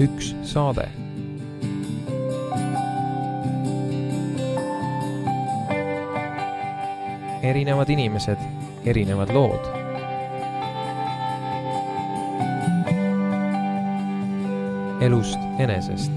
üks saade. Erinevad inimesed, erinevad lood. Elust enesest.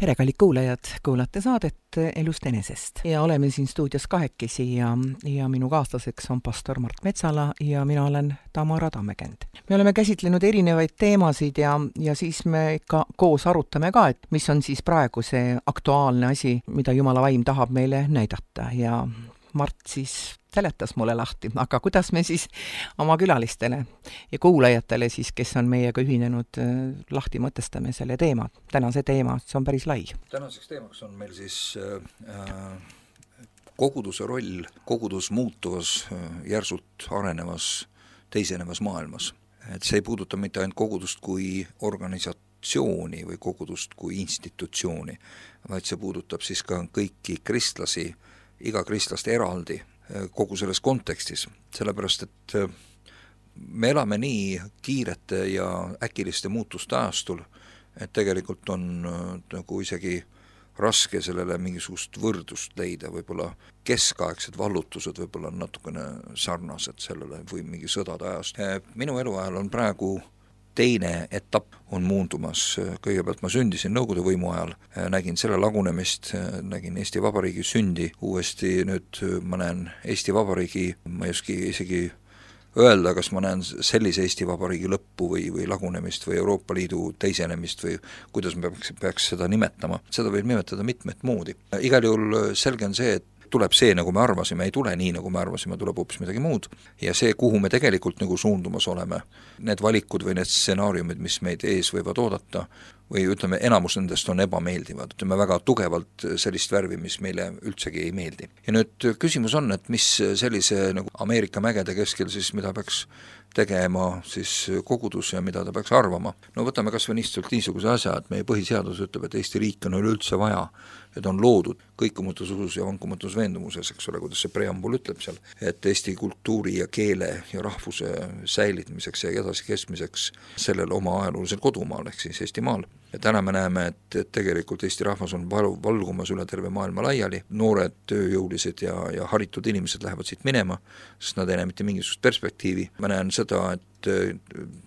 Tere, kallid kuulajad, kuulate saadet Elust enesest ja oleme siin stuudios kahekesi ja minu kaaslaseks on pastor Mart Metsala ja mina olen Tamara Tammekend. Me oleme käsitlenud erinevaid teemasid ja siis me ikka koos arutame ka, et mis on siis praegu see aktuaalne asi, mida Jumala vaim tahab meile näidata ja Mart siis seletas mulle lahti, aga kuidas me siis oma külalistele ja kuulajatele siis, kes on meiega ühinenud, lahti mõtestame selle teema, tänase teema, see on päris lai. Tänaseks teemaks on meil siis koguduse roll kogudus muutuvas, järsult arenevas, teisenevas maailmas. Et see ei puuduta mitte ainult kogudust kui organisatsiooni või kogudust kui institutsiooni, vaid see puudutab siis ka kõiki kristlasi, iga kristlast eraldi kogu selles kontekstis, sellepärast et me elame nii kiirete ja äkiliste muutuste ajastul, et tegelikult on nagu isegi raske sellele mingisugust võrdust leida, võib-olla keskaegsed vallutused võib-olla on natukene sarnased sellele või mingi sõdade ajast. Minu eluajal on praegu teine etapp on muundumas. Kõigepealt ma sündisin Nõukogude võimu ajal, nägin selle lagunemist, nägin Eesti Vabariigi sündi, uuesti nüüd ma näen Eesti Vabariigi, ma ei oski isegi öelda, kas ma näen sellise Eesti Vabariigi lõppu või lagunemist või Euroopa Liidu teisenemist või kuidas me peaks seda nimetama. Seda võib nimetada mitmet moodi. Igal juhul selge on see, et tuleb see, nagu me arvasime, ei tule nii, nagu me arvasime, tuleb hoopis midagi muud. Ja see, kuhu me tegelikult nagu suundumas oleme, need valikud või need stsenaariumid, mis meid ees võivad oodata, või ütleme, enamus nendest on ebameeldivad. Ütleme väga tugevalt sellist värvi, mis meile üldsegi ei meeldi. Ja nüüd küsimus on, et mis sellise nagu Ameerika mägede keskel siis, mida peaks tegema siis kogudus ja mida ta peaks arvama. No võtame kas või niisuguse asja, et meie põhiseadus ütleb, et Eesti riik on üleüldse vaja, et on loodud kõikumatus usus ja vankumatus veendumuses, eks ole, kuidas see preambul ütleb seal, et Eesti kultuuri ja keele ja rahvuse säilitmiseks ja edasi kestmiseks sellel oma ajaloolisel kodumaal, ehk siis Eestimaal. Ja täna me näeme, et tegelikult Eesti rahvas on valgumas üle terve maailma laiali, noored, tööjõulised ja haritud inimesed lähevad siit minema, sest nad ei näe mitte mingisugust perspektiivi. Ma näen seda, et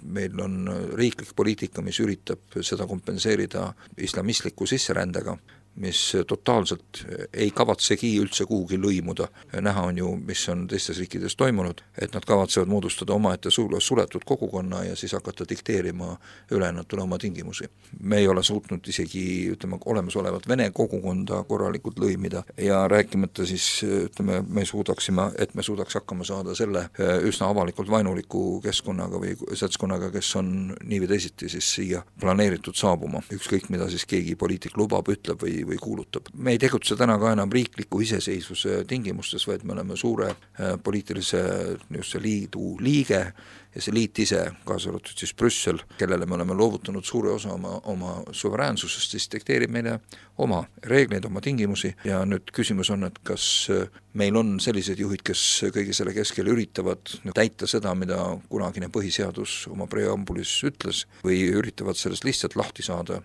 meil on riiklik poliitika, mis üritab seda kompenseerida islamistliku sisserändega, mis totaalselt ei kavatsegi üldse kuhugi lõimuda. Näha on ju, mis on teistes riikides toimunud, et nad kavatsevad moodustada omaette suletud kogukonna ja siis hakata dikteerima ülejäänutele oma tingimusi. Me ei ole suutnud isegi, ütleme, olemasolevat vene kogukonda korralikult lõimida ja rääkimata siis, ütleme, me suudaks hakkama saada selle üsna avalikult vainuliku keskkonnaga või seltskonnaga, kes on nii või teisiti siis siia planeeritud saabuma. Ükskõik, mida siis keegi poliitik lubab, ütleb või kuulutab. Me ei tegutse täna ka enam riikliku iseseisvuse tingimustes, vaid me oleme suure poliitilise liidu liige ja see liit ise, kaasa arvatud siis Brüssel, kellele me oleme loovutanud suure osa oma suveräänsusest, siis dikteerib meile oma reegleid, oma tingimusi ja nüüd küsimus on, et kas meil on sellised juhid, kes kõige selle keskel üritavad täita seda, mida kunagine põhiseadus oma preambulis ütles või üritavad sellest lihtsalt lahti saada,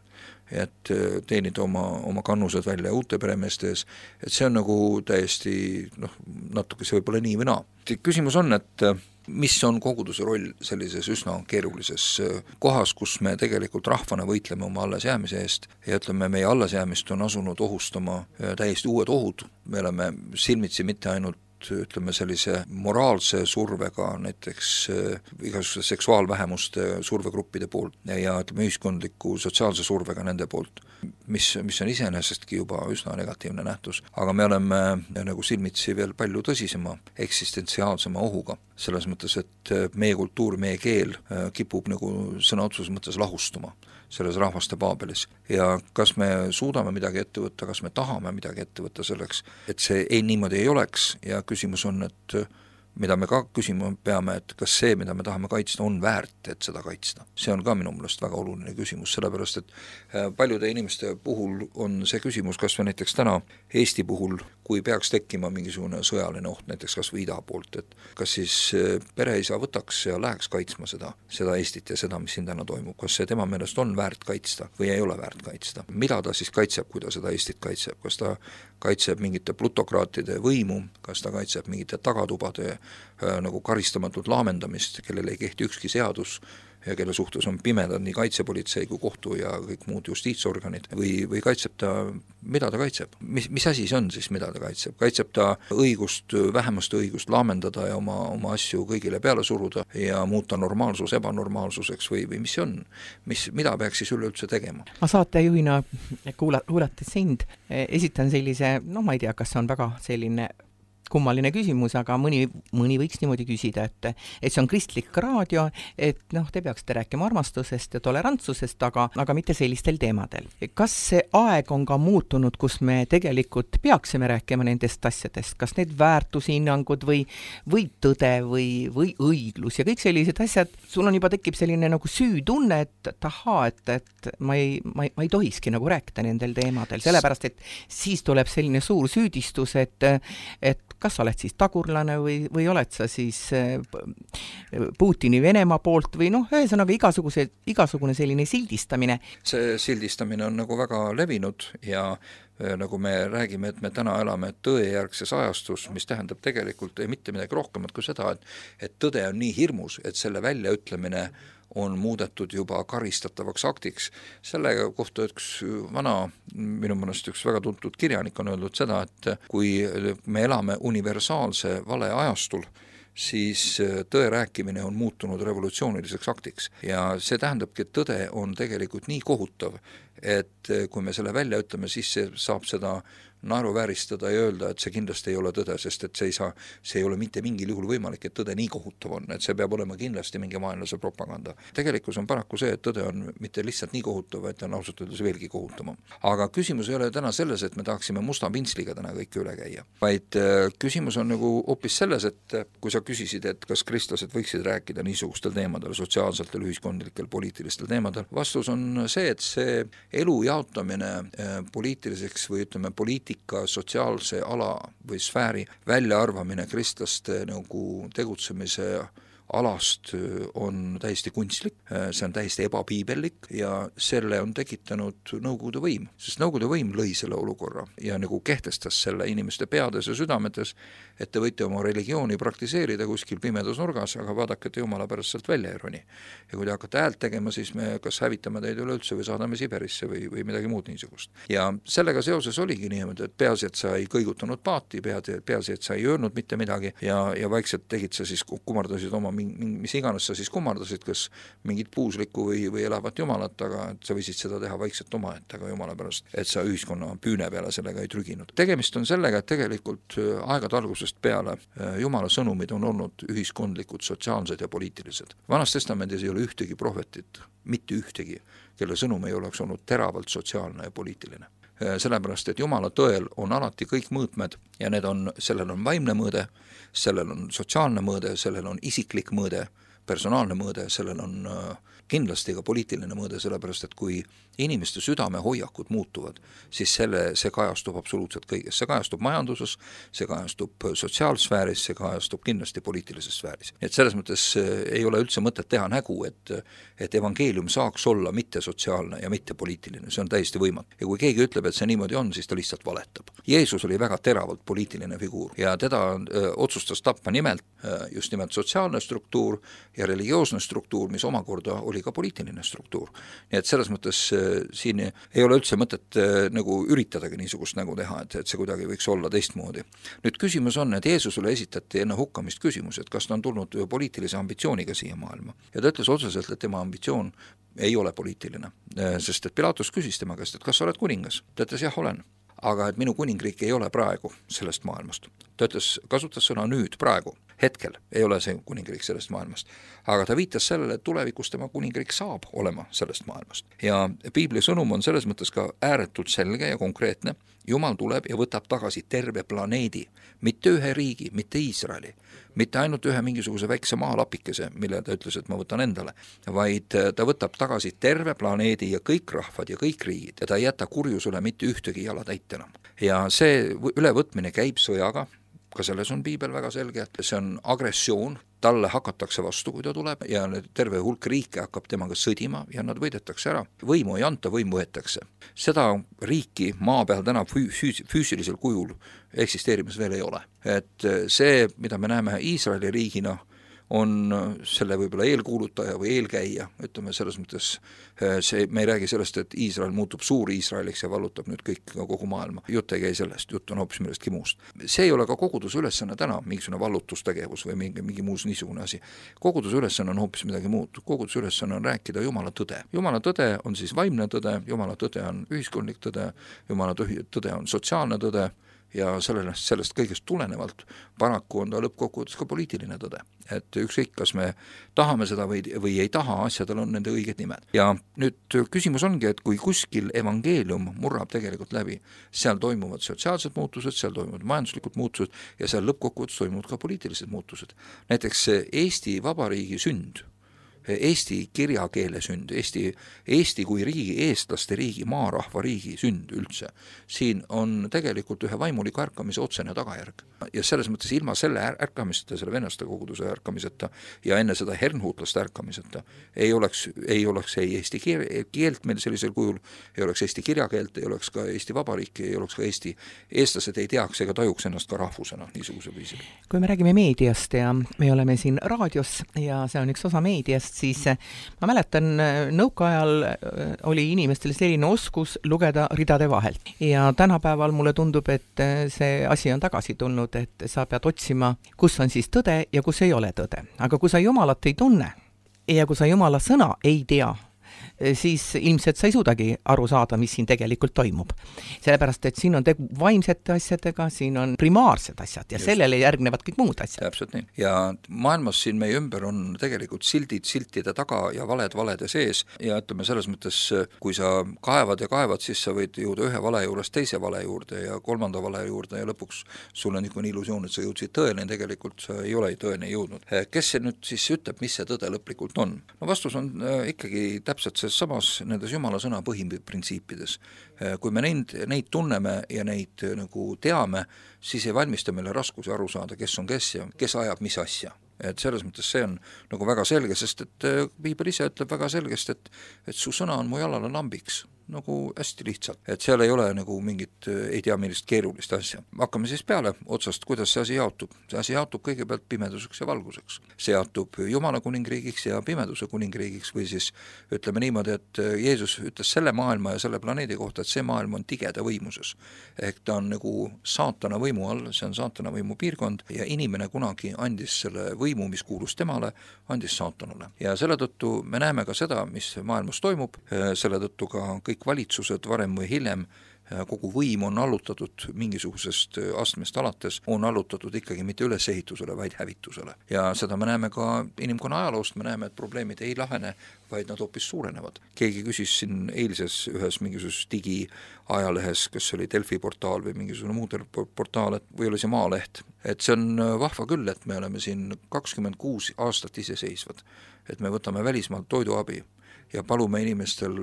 et teenida oma kannused välja uute peremeeste ees, et see on nagu täiesti natuke see võib-olla nii või naa. Küsimus on, et mis on koguduse roll sellises üsna keerulises kohas, kus me tegelikult rahvana võitleme oma allesjäämise eest ja ütleme, meie allesjäämist on asunud ohustama täiesti uued ohud. Me oleme silmitsi mitte ainult ütleme sellise moraalse survega, näiteks igasuguse seksuaalvähemuste survegruppide poolt ja ütleme ühiskondliku sotsiaalse survega nende poolt, mis on iseenesestki juba üsna negatiivne nähtus, aga me oleme nagu silmitsi veel palju tõsisema eksistentsiaalsema ohuga, selles mõttes, et meie kultuur, meie keel kipub nagu sõna otseses mõttes lahustuma selles rahvaste paabelis ja kas me suudame midagi ette võtta, kas me tahame midagi ette võtta selleks, et see niimoodi ei oleks ja küsimus on, et mida me ka küsima peame, et kas see, mida me tahame kaitsta, on väärt, et seda kaitsta. See on ka minu meelest väga oluline küsimus, sellepärast et paljude inimeste puhul on see küsimus, kas või näiteks täna Eesti puhul, kui peaks tekkima mingisugune sõjaline oht, näiteks kas või ida poolt, et kas siis pereisa võtaks ja läheks kaitsma seda Eestit ja seda, mis siin täna toimub, kas see tema meelest on väärt kaitsta või ei ole väärt kaitsta. Mida ta siis kaitseb, kui ta seda Eestit kaitseb, kas ta kaitseb mingite plutokraatide võimu, kas ta kaitseb mingite tagatubade nagu karistamatut laamendamist, kellele ei kehti ükski seadus ja kelle suhtes on pimedad nii kaitsepolitsei kui kohtu ja kõik muud justiitsorganid või kaitseb ta, mida ta kaitseb? Mis asi see on siis, mida ta kaitseb? Kaitseb ta õigust, vähemuste õigust laamendada ja oma asju kõigile peale suruda ja muuta normaalsus ebanormaalsuseks või mis see on? Mida peaks siis üleüldse tegema? Ma saatejuhina kuulates sind esitan sellise, ma ei tea, kas see on väga selline kummaline küsimus, aga mõni võiks niimoodi küsida, et see on kristlik raadio, et te peaksite rääkima armastusest ja tolerantsusest, aga mitte sellistel teemadel. Kas see aeg on ka muutunud, kus me tegelikult peaksime rääkima nendest asjadest, kas need väärtushinnangud või tõde või õiglus ja kõik sellised asjad, sul on juba tekib selline nagu süütunne, et ma ei tohiski nagu rääkida nendel teemadel, sellepärast, et siis tuleb selline suur süüdistus, et kas sa oled siis tagurlane või oled sa siis Putini Venemaa poolt või ühesõnaga igasugune selline sildistamine. See sildistamine on nagu väga levinud ja nagu me räägime, et me täna elame tõejärgses ajastus, mis tähendab tegelikult mitte midagi rohkemat kui seda, et tõde on nii hirmus, et selle väljaütlemine on muudetud juba karistatavaks aktiks. Selle kohta üks minu mõnest üks väga tuntud kirjanik on öeldud seda, et kui me elame universaalse vale ajastul, siis tõe rääkimine on muutunud revolutsiooniliseks aktiks ja see tähendabki, et tõde on tegelikult nii kohutav, et kui me selle välja ütleme, siis see saab seda naeruvääristada ja öelda, et see kindlasti ei ole tõde, sest et see ei ole mitte mingil juhul võimalik, et tõde nii kohutav on, et see peab olema kindlasti mingi vaenlase propaganda. Tegelikkus on paraku see, et tõde on mitte lihtsalt nii kohutav, et on ausalt öeldes veelgi kohutavam. Aga küsimus ei ole täna selles, et me tahaksime musta pintsliga täna kõik üle käia, vaid küsimus on nagu hoopis selles, et kui sa küsisid, et kas kristlased võiksid rääkida niisugustel teemadel, sotsiaalsetel, ühiskondlikel, poliitilistel teemadel, vastus on see, et see elu jaotamine poliitiliseks või ütleme sotsiaalse ala või sfääri väljaarvamine kristlaste nagu tegutsemise alast on täiesti kunstlik, see on täiesti ebapiibellik ja selle on tekitanud Nõukogude võim, sest Nõukogude võim lõi selle olukorra ja nagu kehtestas selle inimeste peades ja südametes, et te võite oma religiooni praktiseerida kuskil pimedas nurgas, aga vaadake, et jumala pärast sealt välja ei roni. Ja kui te hakkate häält tegema, siis me kas hävitame teid üleüldse või saadame Siberisse või midagi muud niisugust. Ja sellega seoses oligi niimoodi, et peaasi, et sa ei kõigutanud paati, peaasi, et sa ei öelnud mitte midagi ja vaikselt tegid sa siis, kummardasid oma mis iganes sa siis kummardasid, kas mingit puuslikku või elavat jumalat, aga et sa võisid seda teha vaikselt omaette, aga jumala pärast, et sa ühiskonna püüne peale sellega ei trüginud. Tegemist on sellega, et tegelikult aegade algusest peale jumala sõnumid on olnud ühiskondlikud, sotsiaalsed ja poliitilised. Vanas testamendis ei ole ühtegi prohvetit, mitte ühtegi, kelle sõnum ei oleks olnud teravalt sotsiaalne ja poliitiline. Sellepärast, et jumala tõel on alati kõik mõõtmed ja sellel on vaimne mõõde, sellel on sotsiaalne mõõde, sellel on isiklik mõõde, personaalne mõõde, sellel on kindlasti ka poliitiline mõõde, sellepärast et kui inimeste südamehoiakud muutuvad, siis see kajastub absoluutselt kõiges. See kajastub majanduses, see kajastub sotsiaalsfääris, see kajastub kindlasti poliitilises sfääris. Et selles mõttes ei ole üldse mõtet teha nägu, et evangeelium saaks olla mitte sotsiaalne ja mitte poliitiline, see on täiesti võimatu. Ja kui keegi ütleb, et see niimoodi on, siis ta lihtsalt valetab. Jeesus oli väga teravalt poliitiline figuur ja teda otsustas tappa just nimelt sotsiaalne struktuur ja religioosne struktuur, mis omakorda oli ka poliitiline struktuur. Nii et selles mõttes siin ei ole üldse mõtet nagu üritadagi niisugust nägu teha, et see kuidagi võiks olla teistmoodi. Nüüd küsimus on, et Jeesusele esitati enne hukkamist küsimus, et kas ta on tulnud poliitilise ambitsiooniga siia maailma. Ja ta ütles otseselt, et tema ambitsioon ei ole poliitiline, sest et Pilatus küsis tema käest, et kas sa oled kuningas? Ta ütles, jah, olen. Aga et minu kuningriik ei ole praegu sellest maailmast. Ta ütles, kasutas sõna nüüd, praegu. Hetkel ei ole see kuningriik sellest maailmast, aga ta viitas sellele, et tulevikus tema kuningriik saab olema sellest maailmast. Ja Piibli sõnum on selles mõttes ka ääretult selge ja konkreetne. Jumal tuleb ja võtab tagasi terve planeedi, mitte ühe riigi, mitte Iisraeli, mitte ainult ühe mingisuguse väikse maalapikese, mille ta ütles, et ma võtan endale, vaid ta võtab tagasi terve planeedi ja kõik rahvad ja kõik riigid ja ta ei jäta kurjusele mitte ühtegi jalatäit enam. Ja see ülevõtmine käib sõjaga, ka selles on Piibel väga selge, et see on agressioon, talle hakatakse vastu, kui ta tuleb ja terve hulk riike hakkab temaga sõdima ja nad võidetakse ära. Võimu ei anta, võim võetakse. Seda riiki maa peal täna füüsilisel kujul eksisteerimas veel ei ole. Et see, mida me näeme Iisraeli riigina, on selle võib-olla eelkuulutaja või eelkäija, ütleme selles mõttes, me ei räägi sellest, et Iisrael muutub suur Iisraeliks ja vallutab nüüd kõik kogu maailma. Jutt ei käi sellest, jutt on hoopis millestki muust. See ei ole ka koguduse ülesanne täna, mingisugune vallutustegevus või mingi muus niisugune asi. Koguduse ülesanne on hoopis midagi muud. Koguduse ülesanne on rääkida Jumala tõde. Jumala tõde on siis vaimne tõde, Jumala tõde on ühiskondlik tõde, Jumala tõde on sotsiaalne tõde ja sellest kõigest tulenevalt paraku on ta lõppkokkuvõttes ka poliitiline tõde. Et ükskõik, kas me tahame seda või ei taha, asjadel on nende õiged nimed. Ja nüüd küsimus ongi, et kui kuskil evangeelium murrab tegelikult läbi, seal toimuvad sotsiaalsed muutused, seal toimuvad majanduslikud muutused ja seal lõppkokkuvõttes toimuvad ka poliitilised muutused. Näiteks Eesti Vabariigi sünd, Eesti kirjakeele sünd, Eesti kui riigi, eestlaste riigi, maarahva riigi sünd üldse. Siin on tegelikult ühe vaimuliku ärkamise otsene tagajärg. Ja selles mõttes ilma selle ärkamiseta, selle vennaste koguduse ärkamiseta ja enne seda hernhuutlaste ärkamiseta ei oleks ei Eesti keelt meil sellisel kujul, ei oleks Eesti kirjakeelt, ei oleks ka Eesti Vabariik, ei oleks ka eestlased ei teaks ega tajuks ennast ka rahvusena niisuguse viisil. Kui me räägime meediast ja me oleme siin raadios ja see on üks osa meediast, siis ma mäletan, nõukaajal oli inimestel selline oskus lugeda ridade vahelt. Ja tänapäeval mulle tundub, et see asi on tagasi tulnud, et sa pead otsima, kus on siis tõde ja kus ei ole tõde. Aga kui sa Jumalat ei tunne ja kui sa Jumala sõna ei tea, siis ilmselt sa ei suudagi aru saada, mis siin tegelikult toimub. Sellepärast, et siin on tegu vaimsete asjadega, siin on primaarsed asjad ja just. Sellele järgnevad kõik muud asjad. Täpselt nii. Ja maailmas siin meie ümber on tegelikult sildid siltide taga ja valed valede sees ja ütleme selles mõttes, kui sa kaevad ja kaevad, siis sa võid jõuda ühe vale juurest teise vale juurde ja kolmanda vale juurde ja lõpuks sul on niisugune illusioon, et sa jõudsid tõene, tegelikult sa ei ole tõene jõudnud. Kes see nüüd siis ütleb, mis see tõde lõplikult on? No vastus on ikkagi täpselt see samas nendes Jumala sõna põhiprintsiipides. Kui me neid tunneme ja neid nagu teame, siis ei valmista meile raskusi aru saada, kes on kes ja kes ajab mis asja. Et selles mõttes see on nagu väga selge, sest et Piibel ise ütleb väga selgest, et su sõna on mu jalale lambiks. Nagu hästi lihtsalt, et seal ei ole nagu mingit ei tea millist keerulist asja. Hakkame siis peale otsast, kuidas see asi jaotub. See asi jaotub kõigepealt pimeduseks ja valguseks. See jaotub Jumala kuningriigiks ja pimeduse kuningriigiks või siis ütleme niimoodi, et Jeesus ütles selle maailma ja selle planeedi kohta, et see maailm on tigeda võimuses. Ehk ta on nagu saatana võimu all, see on saatana võimu piirkond ja inimene kunagi andis selle võimu, mis kuulus temale, andis saatanule. Ja selle tõttu me näeme ka seda, mis maailmas toimub, selle tõttu ka kõik valitsused varem või hiljem, kogu võim on allutatud mingisugusest astmest alates, on allutatud ikkagi mitte ülesehitusele, vaid hävitusele. Ja seda me näeme ka inimkonna ajaloost, me näeme, et probleemid ei lahene, vaid nad hoopis suurenevad. Keegi küsis siin eilses ühes mingisuguses digiajalehes, kas oli Delfi portaal või mingisugune muu portaal, või oli see Maaleht. Et see on vahva küll, et me oleme siin 26 aastat iseseisvad, et me võtame välismaalt toiduabi ja palume inimestel,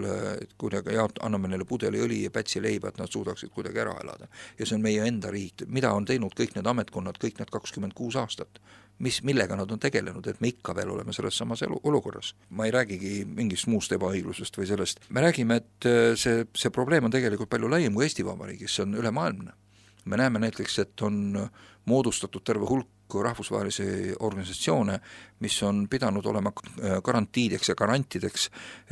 et kuidagi anname neile pudeli õli ja pätsi leiba, et nad suudaksid kuidagi ära elada. Ja see on meie enda riik. Mida on teinud kõik need ametkonnad, kõik need 26 aastat? Millega nad on tegelenud, et me ikka veel oleme selles samas olukorras. Ma ei räägigi mingist muust ebaõiglusest või sellest. Me räägime, et see probleem on tegelikult palju laiem kui Eesti Vabariigis, see on ülemaailmne. Me näeme näiteks, et on moodustatud terve hulk rahvusvahelisi organisatsioone, mis on pidanud olema garantiideks ja garantideks,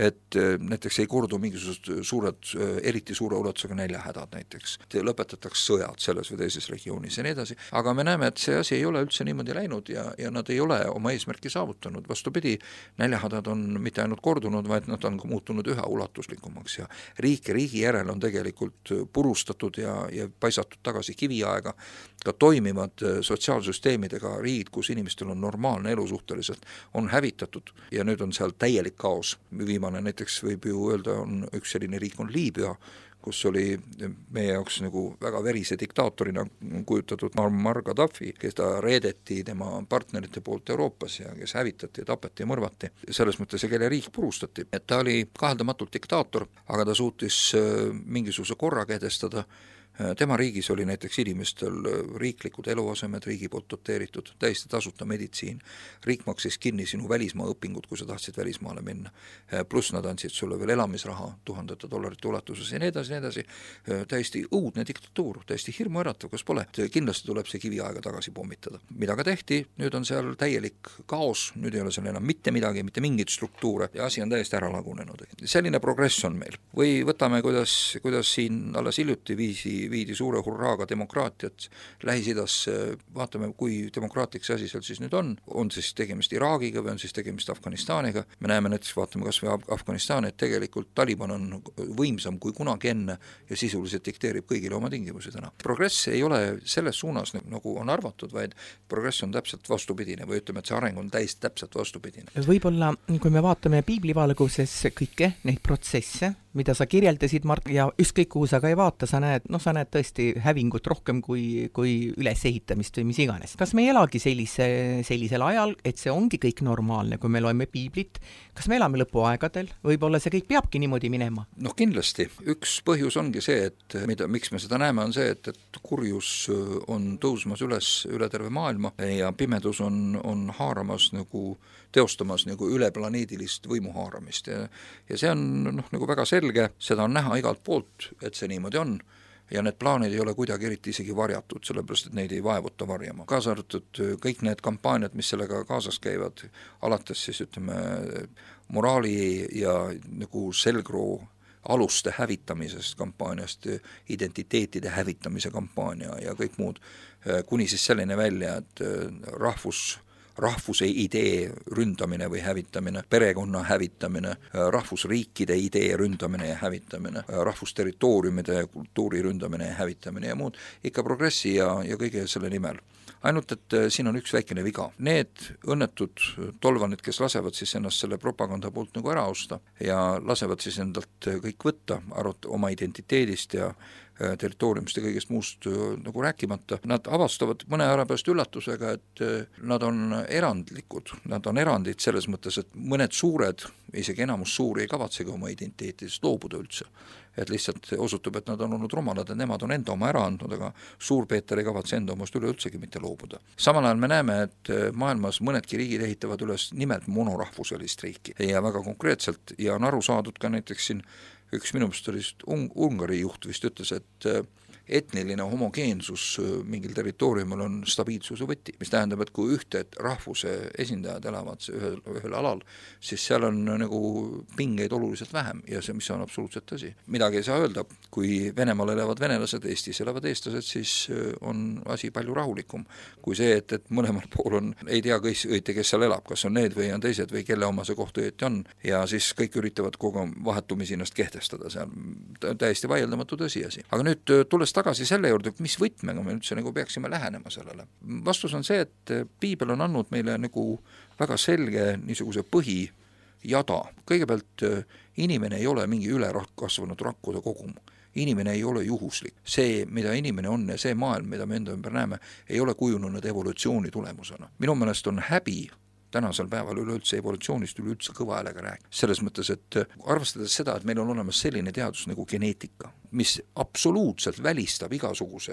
et näiteks ei kordu mingisugused eriti suure ulatusega näljahädad näiteks. Lõpetatakse sõjad selles või teises regioonis ja nii edasi. Aga me näeme, et see asi ei ole üldse niimoodi läinud ja nad ei ole oma eesmärki saavutanud. Vastupidi, näljahädad on mitte ainult kordunud, vaid nad on muutunud üha ulatuslikumaks ja riigi järel on tegelikult purustatud ja paisatud tagasi kiviaega, ka toimivad sotsiaalsüsteemidega riigid, kus inimestel on normaalne elu suhteliselt, on hävitatud ja nüüd on seal täielik kaos. Viimane näiteks võib ju öelda, on üks selline riik on Liibüa, kus oli meie jaoks nagu väga verise diktaatorina kujutatud Muammar Gaddafi, kes ta reedeti tema partnerite poolt Euroopas ja kes hävitati, tapeti ja mõrvati. Selles mõttes, kelle riik purustati. Et ta oli kaheldamatult diktaator, aga ta suutis mingisuguse korra kehtestada. Tema riigis oli näiteks inimestel riiklikud eluasemed, riigi poolt doteeritud, täiesti tasuta meditsiin. Riik maksis kinni sinu välismaa õpingud, kui sa tahtsid välismaale minna. Pluss nad andsid sulle veel elamisraha $1000 ulatuses ja nii edasi. Täiesti õudne diktatuur, täiesti hirmuäratav, kas pole. Kindlasti tuleb see kiviaega tagasi pommitada. Mida ka tehti, nüüd on seal täielik kaos, nüüd ei ole seal enam mitte midagi, mitte mingit struktuure ja asi on täiesti ära lagunenud. Selline progress on meil. Või võtame, kuidas siin alles hiljuti viisi viidi suure hurraaga demokraatiat Lähis-Idas, vaatame, kui demokraatlik see asi seal siis nüüd on siis tegemist Iraagiga või on siis tegemist Afganistaniga, me näeme näiteks, vaatame kas või Afganistani, et tegelikult Taliban on võimsam kui kunagi enne ja sisuliselt dikteerib kõigile oma tingimusi täna. Progress ei ole selles suunas, nagu on arvatud, vaid progress on täpselt vastupidine või ütleme, et see areng on täpselt vastupidine. Võib-olla, kui me vaatame piiblivalguses kõike neid protsesse, mida sa kirjeldasid, Mart, ja ükskõik kuhu sa ka ei vaata, sa näed tõesti hävingut rohkem kui ülesehitamist või mis iganes. Kas me ei elagi sellisel ajal, et see ongi kõik normaalne, kui me loeme piiblit? Kas me elame lõpuaegadel? Võib-olla see kõik peabki niimoodi minema? Noh, kindlasti. Üks põhjus ongi see, et miks me seda näeme, on see, et kurjus on tõusmas üle terve maailma ja pimedus on haaramas teostamas üleplaneedilist võimuhaaramist ja see on nagu väga selge, seda on näha igalt poolt, et see niimoodi on ja need plaanid ei ole kuidagi eriti isegi varjatud, sellepärast et neid ei vaevuta varjama. Kaasa arvatud kõik need kampaaniad, mis sellega kaasas käivad, alates siis ütleme moraali ja nagu selgroo aluste hävitamisest kampaaniast, identiteetide hävitamise kampaania ja kõik muud, kuni siis selline välja, et rahvuse idee ründamine või hävitamine, perekonna hävitamine, rahvusriikide idee ründamine ja hävitamine, rahvusterritooriumide ja kultuuri ründamine ja hävitamine ja muud, ikka progressi ja kõige selle nimel. Ainult, et siin on üks väikene viga. Need õnnetud tolvanid, kes lasevad siis ennast selle propaganda poolt nagu ära osta ja lasevad siis endalt kõik võtta, oma identiteedist ja territooriumist ja kõigest muust nagu rääkimata, nad avastavad mõne aja pärast üllatusega, et nad on erandlikud, nad on erandid selles mõttes, et mõned suured, isegi enamus suuri ei kavatsegi oma identiteetidest loobuda üldse. Et lihtsalt osutub, et nad on olnud rumalad, et nemad on enda oma ära andnud, aga Suurpeeter ei kavatse enda omast üleüldsegi mitte loobuda. Samal ajal me näeme, et maailmas mõnedki riigid ehitavad üles nimelt monorahvuselist riiki ja väga konkreetselt ja on aru saadud ka näiteks siin üks minu meelest oli Ungari juht vist ütles, et etniline homogeensus mingil territooriumil on stabiilsuse võti, mis tähendab, et kui ühte rahvuse esindajad elavad ühel alal, siis seal on nagu pingeid oluliselt vähem ja see, mis on absoluutselt tõsi. Midagi ei saa öelda, kui Venemaal elavad venelased, Eestis elavad eestlased, siis on asi palju rahulikum kui see, et mõlemal pool on, ei tea õieti, kes seal elab, kas on need või on teised või kelle oma see koht õieti on ja siis kõik üritavad kogu vahetumisi ennast kehtestada seal. Täiesti vaieldamatu tõsiasi. Aga nüüd tulles tagasi selle juurde, mis võtmega me üldse nagu peaksime lähenema sellele. Vastus on see, et piibel on andnud meile nagu väga selge niisuguse põhijada. Kõigepealt inimene ei ole mingi ülerakasvanud rakkude kogum. Inimene ei ole juhuslik. See, mida inimene on ja see maailm, mida me enda ümber näeme, ei ole kujunenud evolutsiooni tulemusena. Minu meelest on häbi tänasel päeval üleüldse evolutsioonist üleüldse kõva häälega rääkida. Selles mõttes, et arvestades seda, et meil on olemas selline teadus nagu geneetika, mis absoluutselt välistab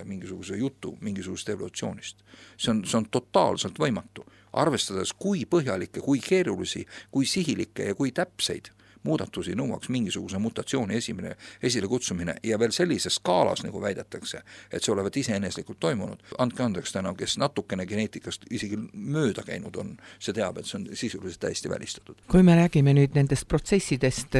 mingisuguse jutu mingisugust evolutsioonist. See on totaalselt võimatu. Arvestades, kui põhjalikke, kui keerulisi, kui sihilikke ja kui täpseid muudatusi nõuaks mingisuguse mutatsiooni esile kutsumine ja veel sellises skaalas, nagu väidetakse, et see olevat iseeneslikult toimunud. Andke andeks täna, kes natukene geneetikast isegi mööda käinud on, see teab, et see on sisuliselt täiesti välistatud. Kui me räägime nüüd nendest protsessidest,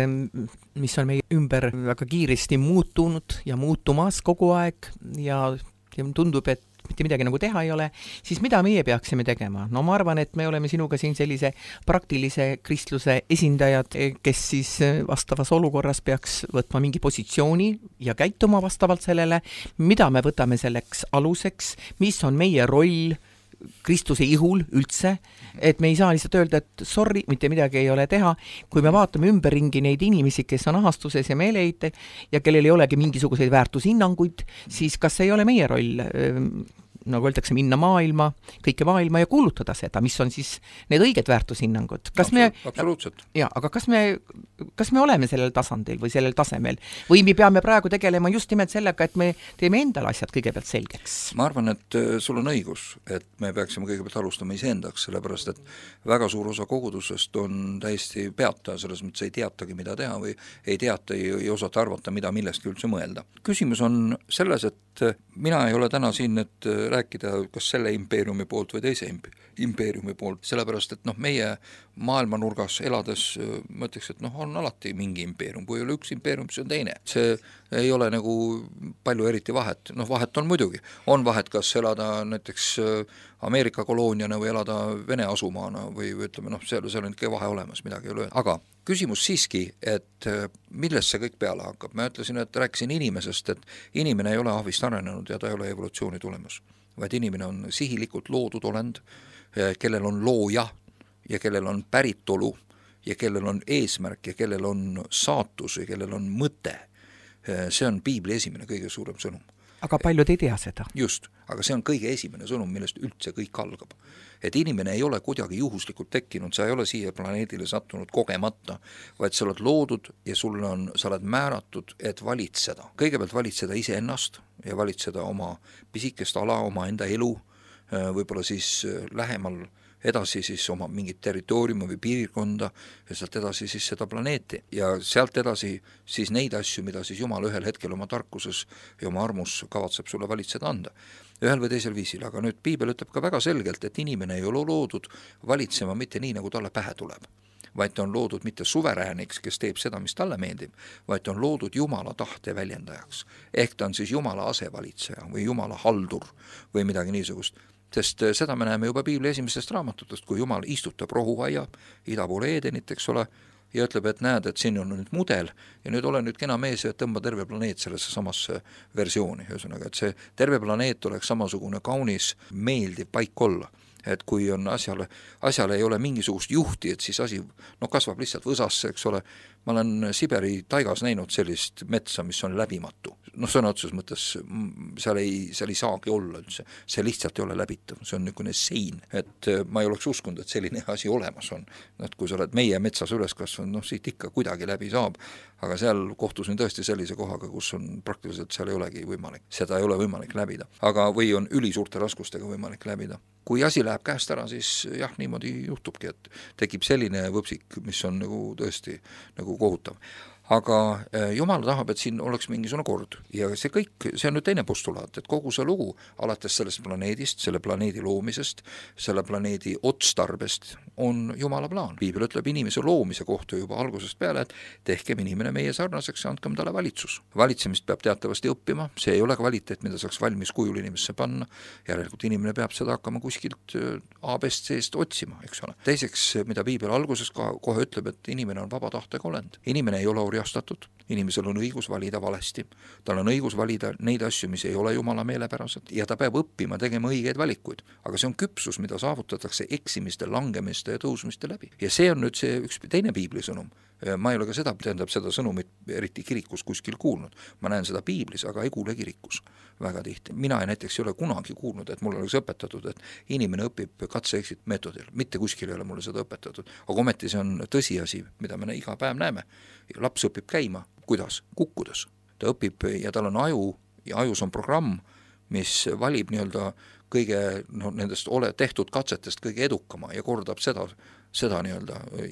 mis on meie ümber väga kiiresti muutunud ja muutumas kogu aeg ja tundub, et mitte midagi nagu teha ei ole, siis mida meie peaksime tegema? No ma arvan, et me oleme sinuga siin sellise praktilise kristluse esindajad, kes siis vastavas olukorras peaks võtma mingi positsiooni ja käituma vastavalt sellele, mida me võtame selleks aluseks, mis on meie roll Kristuse ihul üldse, et me ei saa lihtsalt öelda, et sorry, mitte midagi ei ole teha, kui me vaatame ümberringi neid inimesi, kes on ahastuses ja meeleheitel ja kellel ei olegi mingisuguseid väärtushinnanguid, siis kas ei ole meie roll, nagu öeldakse, minna kõike maailma ja kuulutada seda, mis on siis need õiged väärtushinnangud. Absoluutselt. Ja, aga kas me oleme sellel tasandil või sellel tasemel või me peame praegu tegelema just nimelt sellega, et me teeme endale asjad kõigepealt selgeks? Ma arvan, et sul on õigus, et me peaksime kõigepealt alustama iseendaks, sellepärast et väga suur osa kogudusest on täiesti peata, selles mõttes ei teatagi, mida teha või ei teata, ei osata arvata, mida millestki üldse mõelda. Küsimus on selles, et mina ei ole täna siin, et rääkida kas selle impeeriumi poolt või teise impeeriumi poolt, sellepärast et meie maailmanurgas elades mõtleks, et on on alati mingi impeerium, kui ei ole üks impeerium, siis on teine. See ei ole nagu palju eriti vahet, vahet on muidugi. On vahet, kas elada näiteks Ameerika kolooniana või elada Vene asumaana või ütleme, seal on ikka vahe olemas, midagi ei ole. Aga küsimus siiski, et millest see kõik peale hakkab? Ma ütlesin, et rääkisin inimesest, et inimene ei ole ahvist arenenud ja ta ei ole evolutsiooni tulemus, vaid inimene on sihilikult loodud olend, kellel on looja ja kellel on päritolu ja kellel on eesmärk ja kellel on saatus ja kellel on mõte. See on Piibli esimene kõige suurem sõnum. Aga paljud ei tea seda. Just, aga see on kõige esimene sõnum, millest üldse kõik algab. Et inimene ei ole kuidagi juhuslikult tekkinud, sa ei ole siia planeedile sattunud kogemata, vaid sa oled loodud ja sa oled määratud, et valitseda. Kõigepealt valitseda iseennast ja valitseda oma pisikest ala, oma enda elu, võib-olla siis lähemal edasi siis oma mingit territooriumi või piirkonda ja sealt edasi siis seda planeeti ja sealt edasi siis neid asju, mida siis Jumal ühel hetkel oma tarkuses ja oma armus kavatseb sulle valitseda anda. Ühel või teisel viisil, aga nüüd Piibel ütleb ka väga selgelt, et inimene ei ole loodud valitsema mitte nii, nagu talle pähe tuleb, vaid ta on loodud mitte suverääniks, kes teeb seda, mis talle meeldib, vaid ta on loodud Jumala tahte väljendajaks. Ehk ta on siis Jumala asevalitseja või Jumala haldur või midagi niisugust. Sest seda me näeme juba Piibli esimestest raamatutest, kui Jumal istutab rohuaia ida poole Edenit, eks ole, ja ütleb, et näed, et siin on nüüd mudel ja nüüd ole nüüd kena mees ja tõmba terve planeet sellesse samasse versiooni. Ühesõnaga, et see terve planeet oleks samasugune kaunis, meeldiv paik olla. Et kui on asjale ei ole mingisugust juhti, et siis asi kasvab lihtsalt võsasse, eks ole. Ma olen Siberi taigas näinud sellist metsa, mis on läbimatu. Sõna otseses mõttes seal ei saagi olla üldse. See lihtsalt ei ole läbitav, see on niisugune sein. Et ma ei oleks uskunud, et selline asi olemas on. Et kui sa oled meie metsas üles kasvanud, siit ikka kuidagi läbi saab, aga seal kohtusin tõesti sellise kohaga, kus on praktiliselt seal ei olegi võimalik. Seda ei ole võimalik läbida. Aga või on ülisuurte raskustega võimalik läbida. Kui asi läheb käest ära, siis jah, niimoodi juhtubki, et tekib selline võpsik, mis on nagu tõesti nagu kohutav. Aga Jumal tahab, et siin oleks mingisugune kord ja see kõik, see on nüüd teine postulaat, et kogu see lugu alates sellest planeedist, selle planeedi loomisest, selle planeedi otstarbest on Jumala plaan. Piibel ütleb inimese loomise kohta juba algusest peale, et tehkem inimene meie sarnaseks ja andkem talle valitsus. Valitsemist peab teatavasti õppima, see ei ole kvaliteet, mida saaks valmis kujul inimesse panna, järelikult inimene peab seda hakkama kuskilt A-best seest otsima, eks ole. Teiseks, mida Piibel alguses kohe ütleb, et inimene on vaba tahtega olend. Inimene ei ole orjastatud, inimesel on õigus valida valesti, tal on õigus valida neid asju, mis ei ole Jumala meelepärased ja ta peab õppima tegema õigeid valikuid, aga see on küpsus, mida saavutatakse eksimiste, langemiste ja tõusmiste läbi. Ja see on nüüd see üks teine Piibli sõnum. Ma ei ole ka seda sõnumit eriti kirikus kuskil kuulnud. Ma näen seda Piiblis, aga ei kuule kirikus väga tihti. Mina näiteks ei ole kunagi kuulnud, et mul oleks õpetatud, et inimene õpib katse-exit meetodil. Mitte kuskil ei ole mulle seda õpetatud. Aga ometi see on tõsiasi, mida me iga päev näeme. Laps õpib käima. Kuidas? Kukkudes. Ta õpib ja tal on aju ja ajus on programm, mis valib kõige nendest tehtud katsetest kõige edukama ja kordab seda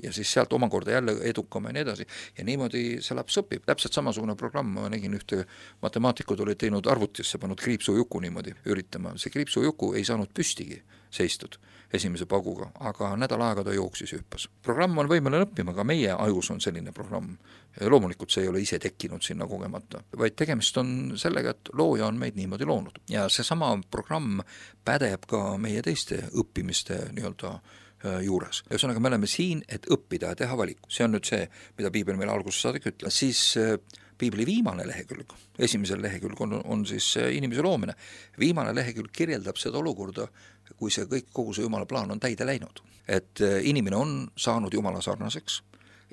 ja siis sealt omakorda jälle edukama ja nii edasi. Ja niimoodi see laps õpib. Täpselt samasugune programm, ma nägin ühte matemaatikud olid teinud arvutisse, pannud kriipsujuku niimoodi üritama. See kriipsujuku ei saanud püstigi seistud esimese paguga, aga nädal aega ta jooksis hüppas. Programm on võimeline õppima, aga meie ajus on selline programm. Ja loomulikult see ei ole ise tekkinud sinna kogemata, vaid tegemist on sellega, et looja on meid niimoodi loonud. Ja see sama programm pädeb ka meie teiste õppimiste juures. Ühesõnaga, me oleme siin, et õppida ja teha valiku. See on nüüd see, mida Piibel meil alguses saadik ütleb. Siis Piibli viimane lehekülg, esimesel lehekülg on siis inimese loomine. Viimane lehekülg kirjeldab seda olukorda, kui see kogu see Jumala plaan on täide läinud. Et inimene on saanud Jumala sarnaseks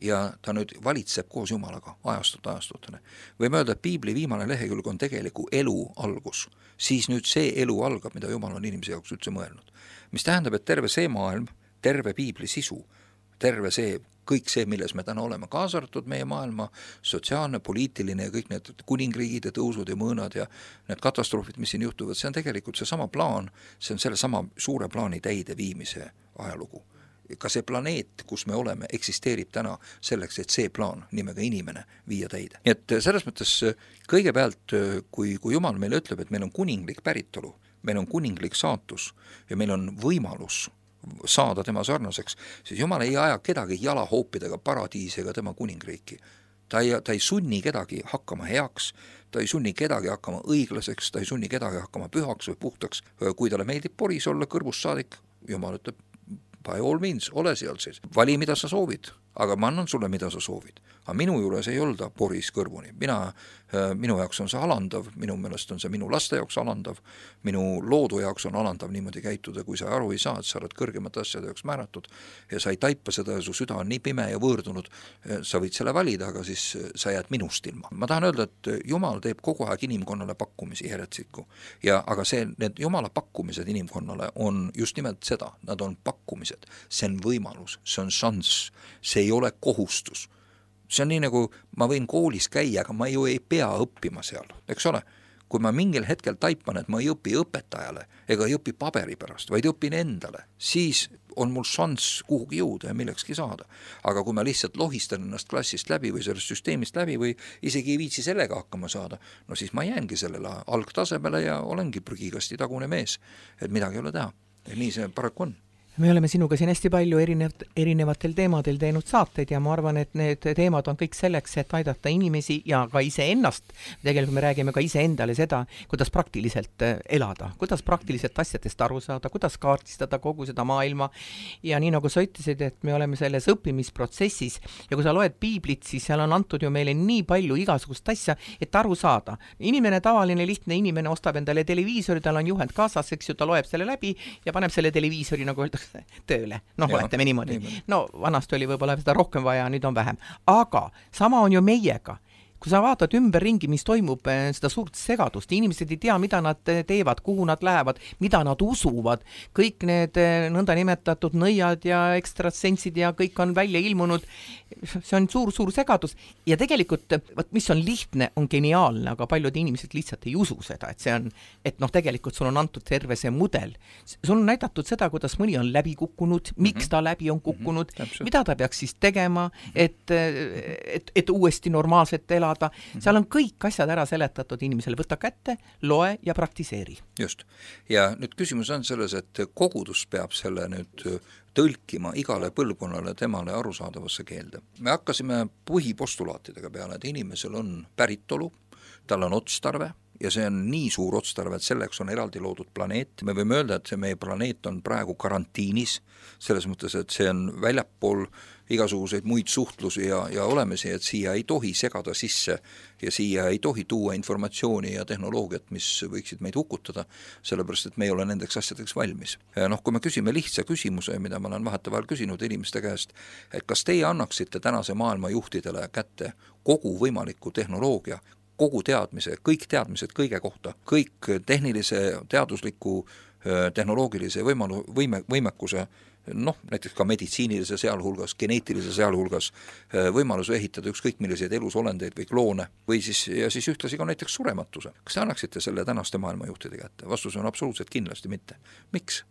ja ta nüüd valitseb koos Jumalaga ajastutene. Võime öelda, et Piibli viimane lehekülg on tegeliku elu algus. Siis nüüd see elu algab, mida Jumal on inimese jaoks üldse mõelnud. Mis tähendab, et terve see maailm, terve Piibli sisu, terve see, kõik see, milles me täna oleme, kaasa arvatud meie maailma sotsiaalne, poliitiline ja kõik need kuningriigid ja tõusud ja mõõnad ja need katastroofid, mis siin juhtuvad, see on tegelikult see sama plaan, see on selle sama suure plaani täide viimise ajalugu. Ka see planeet, kus me oleme, eksisteerib täna selleks, et see plaan nimega inimene viia täide. Nii et selles mõttes kõigepealt, kui Jumal meile ütleb, et meil on kuninglik päritolu, meil on kuninglik saatus ja meil on võimalus saada tema sarnaseks, siis Jumal ei aja kedagi jalahoopidega paradiisi ega tema kuningriiki. Ta ei sunni kedagi hakkama heaks, ta ei sunni kedagi hakkama õiglaseks, ta ei sunni kedagi hakkama pühaks või puhtaks. Kui talle meeldib poris olla kõrvust saadik, Jumal ütleb, by all means, ole seal siis. Vali, mida sa soovid, aga ma annan sulle, mida sa soovid. Aga minu juures ei olda poris kõrvuni. Minu jaoks on see alandav, minu meelest on see minu laste jaoks alandav, minu loodu jaoks on alandav niimoodi käituda, kui sa aru ei saa, et sa oled kõrgemate asjade jaoks määratud ja sa ei taipa seda ja su süda on nii pime ja võõrdunud, sa võid selle valida, aga siis sa jääd minust ilma. Ma tahan öelda, et Jumal teeb kogu aeg inimkonnale pakkumisi järjetsikku. Aga need Jumala pakkumised inimkonnale on just nimelt seda, nad on pakkumised, see on võimalus, see on šanss, see ei ole kohustus. See on nii nagu ma võin koolis käia, aga ma ju ei pea õppima seal, eks ole. Kui ma mingil hetkel taipan, et ma ei õpi õpetajale ega ei õpi paberi pärast, vaid õpin endale, siis on mul šanss kuhugi jõuda ja millekski saada. Aga kui ma lihtsalt lohistan ennast klassist läbi või sellest süsteemist läbi või isegi ei viitsi sellega hakkama saada, no siis ma jäängi sellele algtasemele ja olengi prügikasti tagune mees, et midagi ei ole teha. Ja nii see paraku on. Me oleme sinuga siin hästi palju erinevatel teemadel teinud saateid ja ma arvan, et need teemad on kõik selleks, et aidata inimesi ja ka iseennast. Tegelikult me räägime ka iseendale seda, kuidas praktiliselt elada, kuidas praktiliselt asjadest aru saada, kuidas kaardistada kogu seda maailma. Ja nii nagu sa ütlesid, et me oleme selles õppimisprotsessis ja kui sa loed piiblit, siis seal on antud ju meile nii palju igasugust asja, et aru saada. Inimene, tavaline, lihtne inimene ostab endale televiisori, tal on juhend kaasas, eks ju, ta loeb selle läbi ja paneb selle televiisori, nagu öeldakse, tööle. Oletame niimoodi. No vanasti oli võib-olla seda rohkem vaja, nüüd on vähem. Aga sama on ju meiega. Kui sa vaatad ümberringi, mis toimub seda suurt segadust, inimesed ei tea, mida nad teevad, kuhu nad lähevad, mida nad usuvad, kõik need nõnda nimetatud nõiad ja ekstrasentsid ja kõik on välja ilmunud, see on suur segadus ja tegelikult, mis on lihtne, on geniaalne, aga paljud inimesed lihtsalt ei usu seda, et see on, et tegelikult sul on antud terve see mudel. Sul on näidatud seda, kuidas mõni on läbi kukkunud, miks ta läbi on kukkunud, mida ta peaks siis tegema, et uuesti normaalselt elada. Seal on kõik asjad ära seletatud inimesele, võta kätte, loe ja praktiseeri. Just. Ja nüüd küsimus on selles, et kogudus peab selle nüüd tõlkima igale põlvkonnale temale arusaadavasse keelde. Me hakkasime põhipostulaatidega peale, et inimesel on päritolu, tal on otstarve ja see on nii suur otstarve, et selleks on eraldi loodud planeet. Me võime öelda, et see meie planeet on praegu karantiinis, selles mõttes, et see on väljapool igasuguseid muid suhtlusi ja olemisi, et siia ei tohi segada sisse ja siia ei tohi tuua informatsiooni ja tehnoloogiat, mis võiksid meid hukutada, sellepärast, et me ei ole nendeks asjadeks valmis. Kui me küsime lihtsa küsimuse, mida ma olen vahetevahel küsinud inimeste käest, et kas teie annaksite tänase maailma juhtidele kätte kogu võimaliku tehnoloogia, kogu teadmise, kõik teadmised kõige kohta, kõik tehnilise, teadusliku, tehnoloogilise võimekuse, näiteks ka meditsiinilise sealhulgas, geneetilise sealhulgas võimaluse ehitada ükskõik milliseid elusolendeid või kloone või siis ühtlasi ka näiteks surematuse. Kas te annaksite selle tänaste maailmajuhtide kätte? Vastus on absoluutselt kindlasti mitte. Miks?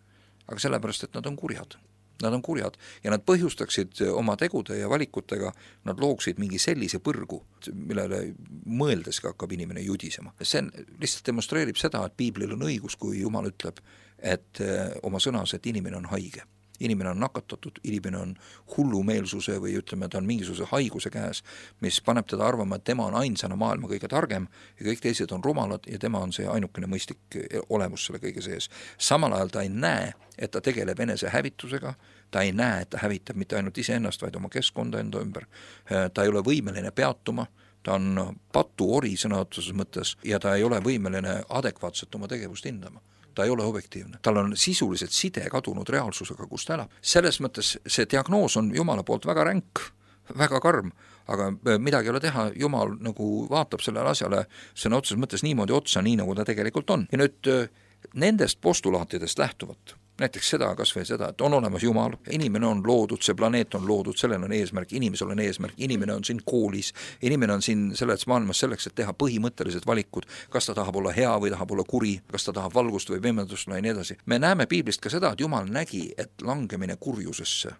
Aga sellepärast, et nad on kurjad. Nad on kurjad ja nad põhjustaksid oma tegude ja valikutega, nad looksid mingi sellise põrgu, millele mõeldeski hakkab inimene judisema. See lihtsalt demonstreerib seda, et piiblil on õigus, kui Jumal ütleb, et oma sõnas, et inimene on haige. Inimene on nakatatud, inimene on hullumeelsuse või ütleme, ta on mingisuguse haiguse käes, mis paneb teda arvama, et tema on ainsana maailma kõige targem ja kõik teised on rumalad ja tema on see ainukene mõistlik olemus selle kõige sees. Samal ajal ta ei näe, et ta tegeleb enese hävitusega, ta ei näe, et ta hävitab mitte ainult iseennast, vaid oma keskkonda enda ümber. Ta ei ole võimeline peatuma, ta on patuori sõna otseses mõttes ja ta ei ole võimeline adekvaatselt oma tegevust hindama. Ta ei ole objektiivne. Tal on sisuliselt side kadunud reaalsusega, kus ta elab. Selles mõttes see diagnoos on Jumala poolt väga ränk, väga karm, aga midagi ei ole teha, Jumal nagu vaatab sellele asjale sõna otseses mõttes niimoodi otsa, nii nagu ta tegelikult on. Ja nüüd nendest postulaatidest lähtuvat, näiteks seda, kas või seda, et on olemas Jumal, inimene on loodud, see planeet on loodud, sellel on eesmärk, inimesel on eesmärk, inimene on siin koolis, inimene on siin selles maailmas selleks, et teha põhimõttelised valikud, kas ta tahab olla hea või tahab olla kuri, kas ta tahab valgust või pimedust või nii edasi. Me näeme piiblist ka seda, et Jumal nägi, et langemine kurjusesse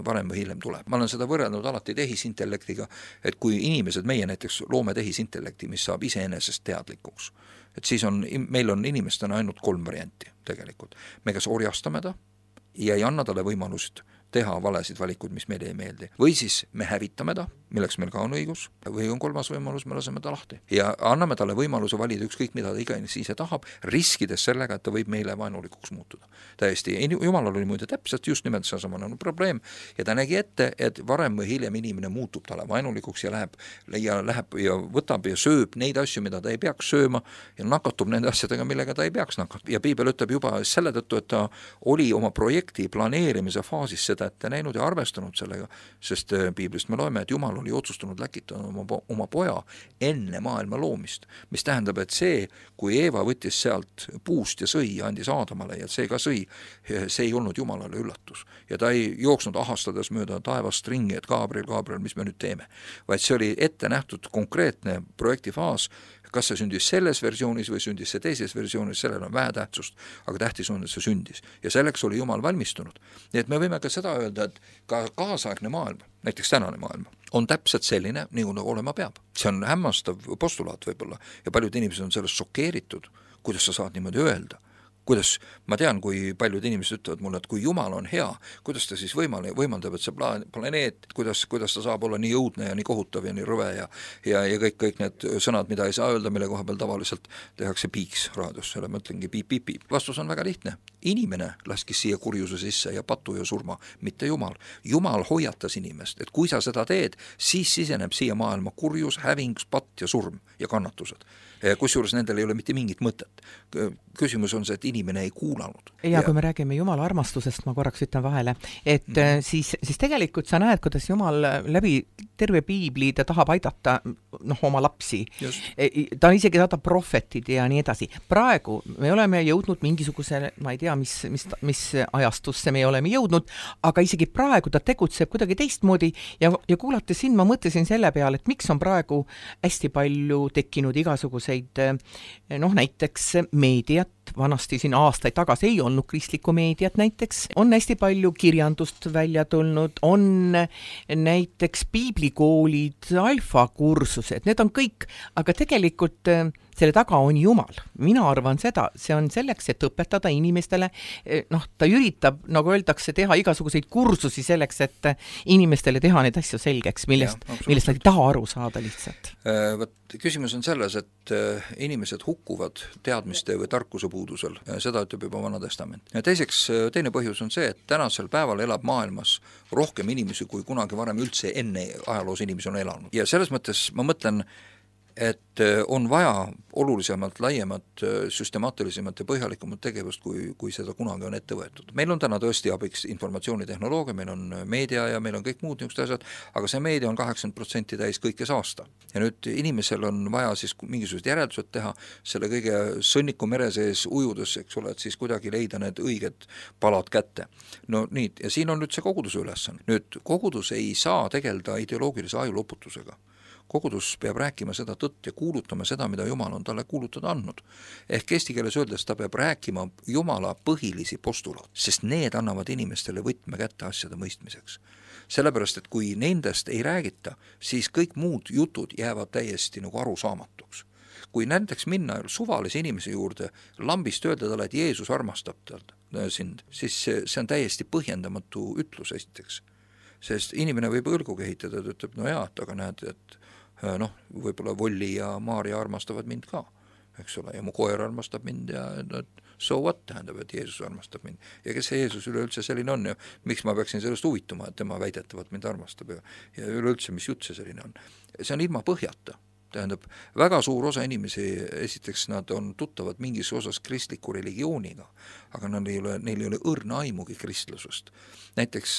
varem või hiljem tuleb. Ma olen seda võrrelnud alati tehisintellektiga, et kui inimesed, meie näiteks loome tehisintellekti, mis saab iseenesest teadlikuks, et siis meil on inimestena ainult 3 varianti tegelikult. Me kas orjastame ta, ja ei anna talle võimalust teha valesid valikuid, mis meile ei meeldi. Või siis me hävitame ta, milleks meil ka on õigus, või on kolmas võimalus, me laseme ta lahti. Ja anname talle võimaluse valida ükskõik, mida ta iganes ise tahab, riskides sellega, et ta võib meile vaenulikuks muutuda. Täiesti, Jumalal oli muide täpselt just nimelt seesamane probleem ja ta nägi ette, et varem või hiljem inimene muutub talle vaenulikuks ja läheb ja võtab ja sööb neid asju, mida ta ei peaks sööma ja nakatub nende asjadega, millega ta ei peaks nakatuma. Ja Piibel ütleb juba selle tõttu, et ta oli oma projekti planeerimise faasis seda ette näinud ja arvestanud sellega, sest Piiblist me loeme, et Jumal oli otsustanud läkitada oma poja enne maailma loomist, mis tähendab, et see, kui Eeva võttis sealt puust ja sõi ja andis Aadamale ja see ka sõi, see ei olnud Jumalale üllatus. Ja ta ei jooksnud ahastades mööda taevast ringi, et Gabriel, mis me nüüd teeme, vaid see oli ette nähtud konkreetne projektifaas. Kas see sündis selles versioonis või sündis see teises versioonis, sellel on vähe tähtsust, aga tähtis on, et see sündis. Ja selleks oli Jumal valmistunud. Nii et me võime ka seda öelda, et ka kaasaegne maailm, näiteks tänane maailm, on täpselt selline, nii nagu olema peab. See on hämmastav postulaat võib-olla ja paljud inimesed on sellest šokeeritud, kuidas sa saad niimoodi öelda. Kuidas, ma tean, kui paljud inimesed ütlevad mulle, et kui Jumal on hea, kuidas ta siis võimaldab, et see planeet, kuidas ta saab olla nii õudne ja nii kohutav ja nii rõve ja kõik need sõnad, mida ei saa öelda, mille koha peal tavaliselt tehakse piiks raadios, selle mõtlengi piip. Vastus on väga lihtne. Inimene laskis siia kurjuse sisse ja patu ja surma, mitte Jumal. Jumal hoiatas inimest, et kui sa seda teed, siis siseneb siia maailma kurjus, häving, patt ja surm ja kannatused. Kusjuures nendel ei ole mitte mingit mõtet. Küsimus on see, et inimene ei kuulanud. Ja kui me räägime Jumala armastusest, ma korraks ütlen vahele, et siis tegelikult sa näed, kuidas Jumal läbi terve Piibli ta tahab aidata oma lapsi. Ta isegi saadab prohvetid ja nii edasi. Praegu me oleme jõudnud mingisuguse, ma ei tea, mis ajastusse me oleme jõudnud, aga isegi praegu ta tegutseb kuidagi teistmoodi ja kuulates sind ma mõtlesin selle peale, et miks on praegu hästi palju tekkinud igasuguseid näiteks meediat, vanasti siin aastaid tagasi ei olnud kristlikku meediat näiteks, on hästi palju kirjandust välja tulnud, on näiteks piiblikoolid, alfakursused, need on kõik, aga tegelikult selle taga on Jumal. Mina arvan seda, see on selleks, et õpetada inimestele, ta üritab, nagu öeldakse, teha igasuguseid kursusi selleks, et inimestele teha neid asju selgeks, millest nad ei taha aru saada lihtsalt. Küsimus on selles, et inimesed hukkuvad teadmiste või tarkuse puudusel, seda ütleb juba Vana Testament. Ja teiseks, teine põhjus on see, et tänasel päeval elab maailmas rohkem inimesi, kui kunagi varem üldse enne ajaloos inimesi on elanud. Ja selles mõttes ma mõtlen, et on vaja olulisemalt, laiemat, süstemaatilisemat ja põhjalikumat tegevust, kui seda kunagi on ette võetud. Meil on täna tõesti abiks informatsioonitehnoloogia, meil on meedia ja meil on kõik muud niisugused asjad, aga see meedia on 80% täis kõike saasta. Ja nüüd inimesel on vaja siis mingisugused järeldused teha selle kõige sõnniku mere sees ujudes, eks ole, et siis kuidagi leida need õiged palad kätte. No nii, ja siin on nüüd see koguduse ülesanne. Nüüd kogudus ei saa tegeleda ideoloogilise ajuloputusega. Kogudus peab rääkima seda tõtt ja kuulutama seda, mida Jumal on talle kuulutada andnud. Ehk eesti keeles öeldes ta peab rääkima Jumala põhilisi postulaat, sest need annavad inimestele võtme kätte asjade mõistmiseks. Sellepärast, et kui nendest ei räägita, siis kõik muud jutud jäävad täiesti nagu arusaamatuks. Kui näiteks minna suvalise inimese juurde, lambist öelda talle, et Jeesus armastab sind, siis see on täiesti põhjendamatu ütlus esiteks. Sest inimene võib õlgu kehitada, ta ütleb, no jaa, aga näed, et võib-olla Volli ja Maaria armastavad mind ka, eks ole, ja mu koer armastab mind ja so what tähendab, et Jeesus armastab mind. Ja kes see Jeesus üleüldse selline on ja miks ma peaksin sellest huvituma, et tema väidetavalt mind armastab ja üleüldse, mis jutt see selline on. See on ilma põhjata. Tähendab, väga suur osa inimesi, esiteks nad on tuttavad mingis osas kristliku religiooniga, aga neil ei ole õrna aimugi kristlusest. Näiteks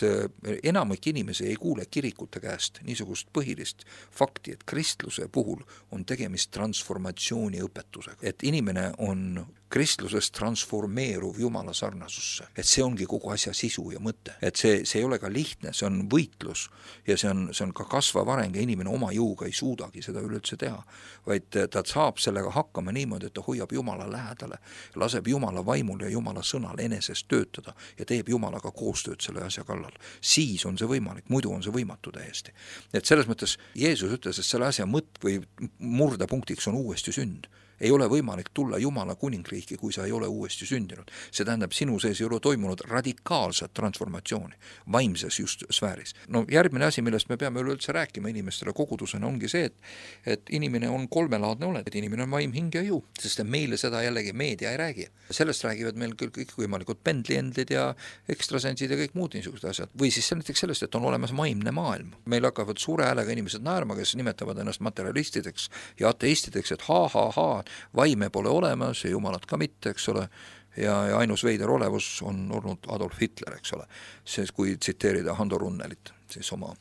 enamik inimesi ei kuule kirikute käest niisugust põhilist fakti, et kristluse puhul on tegemist transformatsiooni õpetusega. Et inimene on kristlusest transformeeruv Jumala sarnasusse. Et see ongi kogu asja sisu ja mõte. Et see ei ole ka lihtne, see on võitlus ja see on ka kasvav areng ja inimene oma jõuga ei suudagi seda üleüldse teha, vaid ta saab sellega hakkama niimoodi, et ta hoiab Jumala lähedale, laseb Jumala vaimul ja Jumala sõnal enesest töötada ja teeb Jumalaga koostööd selle asja kallal. Siis on see võimalik, muidu on see võimatu täiesti. Et selles mõttes Jeesus ütles, et selle asja mõtt või murdepunktiks on uuesti sünd. ei ole võimalik tulla Jumala kuningriiki, kui sa ei ole uuesti sündinud. See tähendab, sinu sees ei ole toimunud radikaalset transformatsiooni vaimses just sfääris. No järgmine asi, millest me peame üleüldse rääkima inimestele kogudusena, ongi see, et inimene on kolmelaadne olend, et inimene on vaim, hing ja jõu, sest meile seda jällegi meedia ei räägi. Sellest räägivad meil küll kõik võimalikud pendliendid ja ekstrasensid ja kõik muud niisugused asjad. Või siis näiteks sellest, et on olemas vaimne maailm. Meil hakkavad suure häälega inimesed naerma, kes nimetavad ennast materialistideks ja ateistideks, et vaime pole olemas ja jumalat ka mitte, eks ole, ja ainus veider olevus on olnud Adolf Hitler, eks ole, siis kui tsiteerida Hando Runnelit, siis oma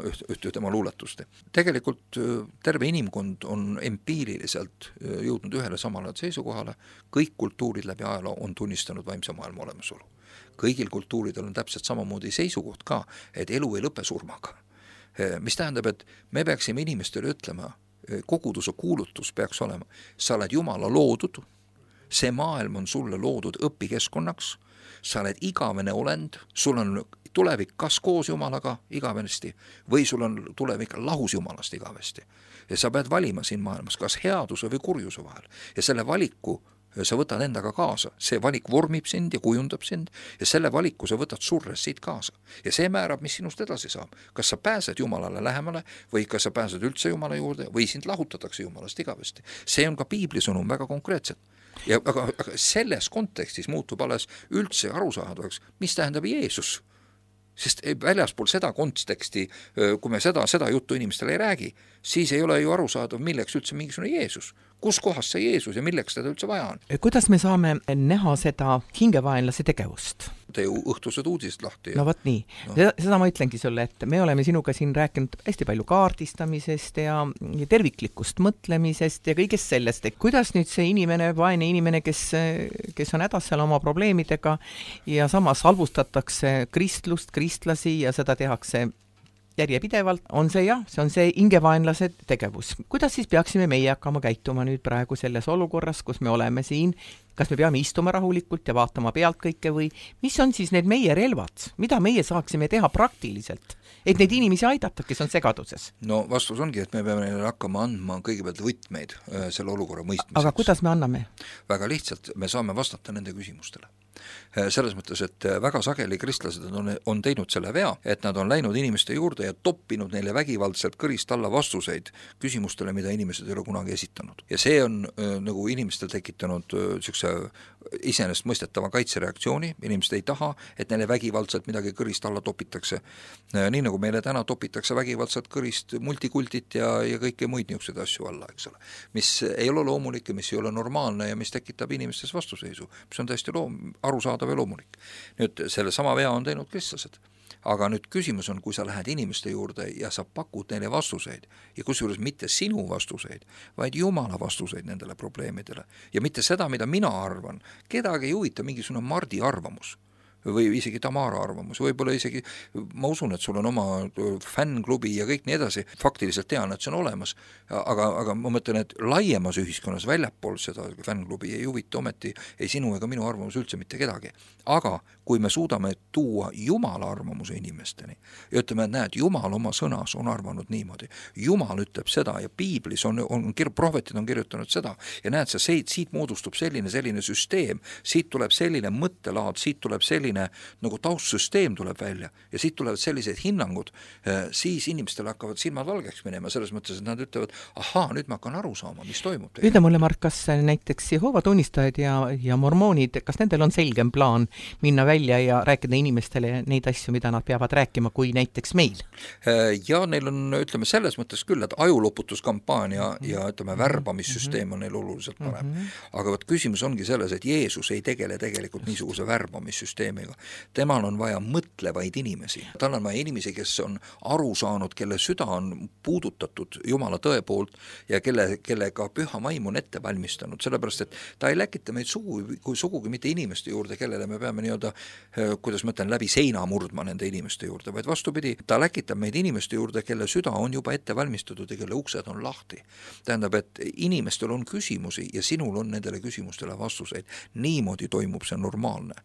ühte tema luuletust. Tegelikult terve inimkond on empiiriliselt jõudnud ühele samale seisukohale, kõik kultuurid läbi ajaloo on tunnistanud vaimse maailma olemasolu. Kõigil kultuuridel on täpselt samamoodi seisukoht ka, et elu ei lõpe surmaga. Mis tähendab, et me peaksime inimestele ütlema, koguduse kuulutus peaks olema, sa oled Jumala loodud, see maailm on sulle loodud õpikeskkonnaks, sa oled igavene olend, sul on tulevik kas koos Jumalaga igavesti või sul on tulevik lahus Jumalast igavesti. Ja sa pead valima siin maailmas kas headuse või kurjuse vahel ja selle valiku sa võtad endaga kaasa, see valik vormib sind ja kujundab sind ja selle valiku sa võtad surres siit kaasa. Ja see määrab, mis sinust edasi saab. Kas sa pääsed Jumalale lähemale või kas sa pääsed üldse Jumala juurde või sind lahutatakse Jumalast igavesti. See on ka piibli sõnum väga konkreetselt. Ja aga selles kontekstis muutub alles üldse arusaadavaks, mis tähendab Jeesus. Sest väljaspool seda konteksti, kui me seda juttu inimestele ei räägi, siis ei ole ju arusaadav, milleks üldse mingisugune Jeesus. Kus kohas see Jeesus ja milleks teda üldse vaja on? Kuidas me saame näha seda hingevaenlase tegevust? Te ju õhtused uudised lahti. No võt nii. No. Seda ma ütlengi sulle, et me oleme sinuga siin rääkinud hästi palju kaardistamisest ja terviklikust mõtlemisest ja kõigest sellest. Et kuidas nüüd see inimene, vaene inimene, kes on hädas seal oma probleemidega ja samas halvustatakse kristlust, kristlasi ja seda tehakse järjepidevalt, on see see on see hingevaenlase tegevus. Kuidas siis peaksime meie hakkama käituma nüüd praegu selles olukorras, kus me oleme siin? Kas me peame istuma rahulikult ja vaatama pealt kõike või mis on siis need meie relvad? Mida meie saaksime teha praktiliselt, et neid inimesi aidata, kes on segaduses? No vastus ongi, et me peame neile hakkama andma kõigepealt võtmeid selle olukorra mõistmiseks. Aga kuidas me anname? Väga lihtsalt, me saame vastata nende küsimustele. Selles mõttes, et väga sageli kristlased on teinud selle vea, et nad on läinud inimeste juurde ja toppinud neile vägivaldselt kõrist alla vastuseid küsimustele, mida inimesed ei ole kunagi esitanud. Ja see on nagu inimestel tekitanud iseenesest mõistetava kaitsereaktsiooni, inimesed ei taha, et neile vägivaldselt midagi kõrist alla topitakse. Nii nagu meile täna topitakse vägivaldselt kõrist multikultit ja kõike muid niisuguseid asju alla, eks ole. Mis ei ole loomulik ja mis ei ole normaalne ja mis tekitab inimestes vastuseisu, mis on täiesti arusaadav ja loomulik. Nüüd selle sama vea on teinud kristlased. Aga nüüd küsimus on, kui sa lähed inimeste juurde ja sa pakud neile vastuseid ja kusjuures mitte sinu vastuseid, vaid Jumala vastuseid nendele probleemidele ja mitte seda, mida mina arvan. Kedagi ei huvita mingisugune Mardi arvamus või isegi Tamara arvamus, võib-olla isegi, ma usun, et sul on oma fännklubi ja kõik nii edasi, faktiliselt tean, et see on olemas, aga ma mõtlen, et laiemas ühiskonnas väljapool seda fännklubi ei huvita ometi ei sinu ega minu arvamus üldse mitte kedagi. Aga kui me suudame tuua Jumala arvamuse inimesteni ja ütleme, et näed, Jumal oma sõnas on arvanud niimoodi, Jumal ütleb seda ja piiblis prohvetid on kirjutanud seda ja näed, siit moodustub selline süsteem, siit tuleb selline mõttelaad, siit tuleb selline nagu taustsüsteem tuleb välja ja siit tulevad sellised hinnangud, siis inimestel hakkavad silmad valgeks minema selles mõttes, et nad ütlevad, nüüd ma hakkan aru saama, mis toimub. Ütle mulle, Mark, kas näiteks Jehoova tunnistajad ja mormoonid, kas nendel on selgem plaan minna välja ja rääkida inimestele neid asju, mida nad peavad rääkima, kui näiteks meil? Ja neil on, ütleme, selles mõttes küll, et ajuloputuskampaania ja ütleme, värbamissüsteem on neil oluliselt parem. Aga küsimus ongi selles, et Jeesus ei tegele tegelikult niisuguse värbamissüsteemiga. Temal on vaja mõtlevaid inimesi. Tal on vaja inimesi, kes on aru saanud, kelle süda on puudutatud Jumala tõe poolt ja kellega püha vaim on ette valmistanud. Sellepärast, et ta ei läkita meid sugugi mitte inimeste juurde, kellele me peame kuidas ma ütlen, läbi seina murdma nende inimeste juurde, vaid vastupidi, ta läkitab meid inimeste juurde, kelle süda on juba ette valmistatud ja kelle uksed on lahti. Tähendab, et inimestel on küsimusi ja sinul on nendele küsimustele vastuseid. Niimoodi toimub see normaalne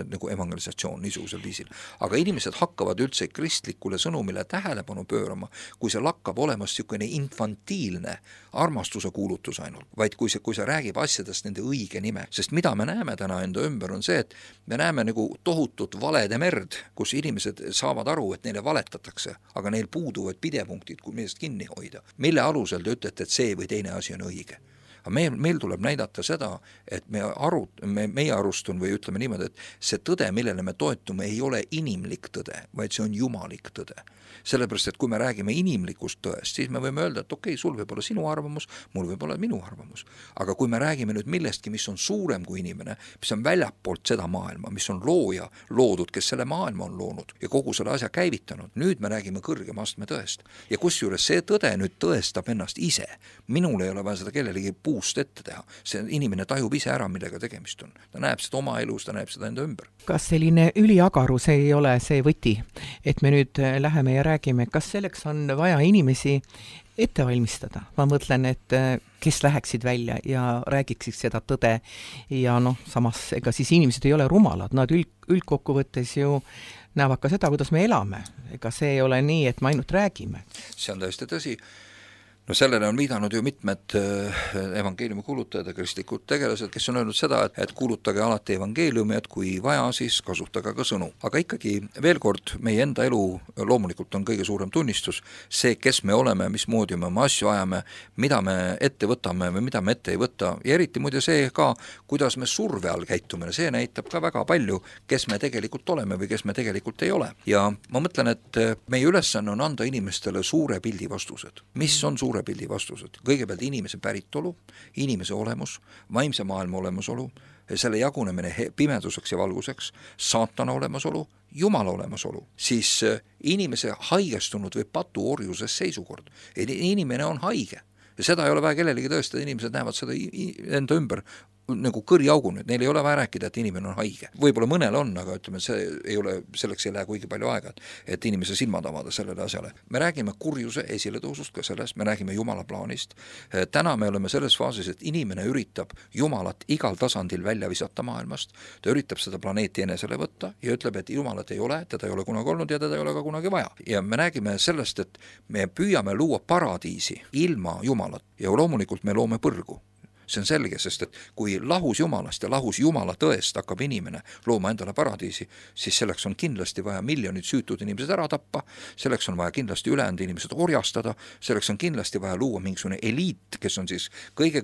nagu evangelisatsioon niisugusel viisil. Aga inimesed hakkavad üldse kristlikule sõnumile tähelepanu pöörama, kui see lakkab olemas niisugune infantiilne armastuse kuulutus ainult, vaid kui see räägib asjadest nende õige nime. Sest mida me näeme täna enda ümber on see, et me näeme nagu tohutut valede merd, kus inimesed saavad aru, et neile valetatakse, aga neil puuduvad pidepunktid, kui millest kinni hoida. Mille alusel te ütlete, et see või teine asi on õige? Aga meil tuleb näidata seda, et meie arustun või ütleme niimoodi, et see tõde, millele me toetume, ei ole inimlik tõde, vaid see on jumalik tõde. Sellepärast, et kui me räägime inimlikust tõest, siis me võime öelda, et okei, sul võib olla sinu arvamus, mul võib olla minu arvamus. Aga kui me räägime nüüd millestki, mis on suurem kui inimene, mis on väljapoolt seda maailma, mis on looja loodud, kes selle maailma on loonud ja kogu selle asja käivitanud, nüüd me räägime kõrgema astme tõest. Ja kusjuures see tõde nüüd tõestab ennast ise. Minul ei ole vaja seda kellelegi puust ette teha. See inimene tajub ise ära, millega tegemist on. Ta näeb seda oma elus, ta näeb seda enda ümber. Kas selline üliagarus ei ole see võti, et me nüüd läheme ja räägime, kas selleks on vaja inimesi ette valmistada? Ma mõtlen, et kes läheksid välja ja räägiksid seda tõde ja samas ega siis inimesed ei ole rumalad, nad üldkokkuvõttes ju näevad ka seda, kuidas me elame. Ega see ei ole nii, et me ainult räägime. See on täiesti tõsi. No sellele on viidanud ju mitmed evangeeliumi kuulutajad ja kristlikud tegelased, kes on öelnud seda, et kuulutage alati evangeeliumi, et kui vaja, siis kasutage ka sõnu. Aga ikkagi veel kord, meie enda elu loomulikult on kõige suurem tunnistus, see, kes me oleme, mismoodi me oma asju ajame, mida me ette võtame või mida me ette ei võta, ja eriti muide see ka, kuidas me surve all käitume, see näitab ka väga palju, kes me tegelikult oleme või kes me tegelikult ei ole. Ja ma mõtlen, et meie ülesanne on anda inimestele suure pildi vastused. Mis on suure pildi vastused? Kõigepealt inimese päritolu, inimese olemus, vaimse maailma olemasolu, selle jagunemine pimeduseks ja valguseks, saatana olemasolu, Jumala olemasolu, siis inimese haigestunud või patuorjuses seisukord. Inimene on haige ja seda ei ole vaja kellelegi tõestada, inimesed näevad seda enda ümber nagu kõriaugu nüüd, neil ei ole vaja rääkida, et inimene on haige. Võib-olla mõnel on, aga ütleme, selleks ei lähe kuigi palju aega, et inimese silmad avada sellele asjale. Me räägime kurjuse esiletõusust ka sellest, me räägime Jumala plaanist. Täna me oleme selles faasis, et inimene üritab Jumalat igal tasandil välja visata maailmast, ta üritab seda planeeti enesele võtta ja ütleb, et Jumalat ei ole, teda ei ole kunagi olnud ja teda ei ole ka kunagi vaja. Ja me räägime sellest, et me püüame luua paradiisi ilma Jumalat ja loomulikult me loome põrgu. See on selge, sest et kui lahus Jumalast ja lahus Jumala tõest hakkab inimene looma endale paradiisi, siis selleks on kindlasti vaja miljonid süütud inimesed ära tappa, selleks on vaja kindlasti ülejäänud inimesed orjastada, selleks on kindlasti vaja luua mingisugune eliit, kes on siis kõige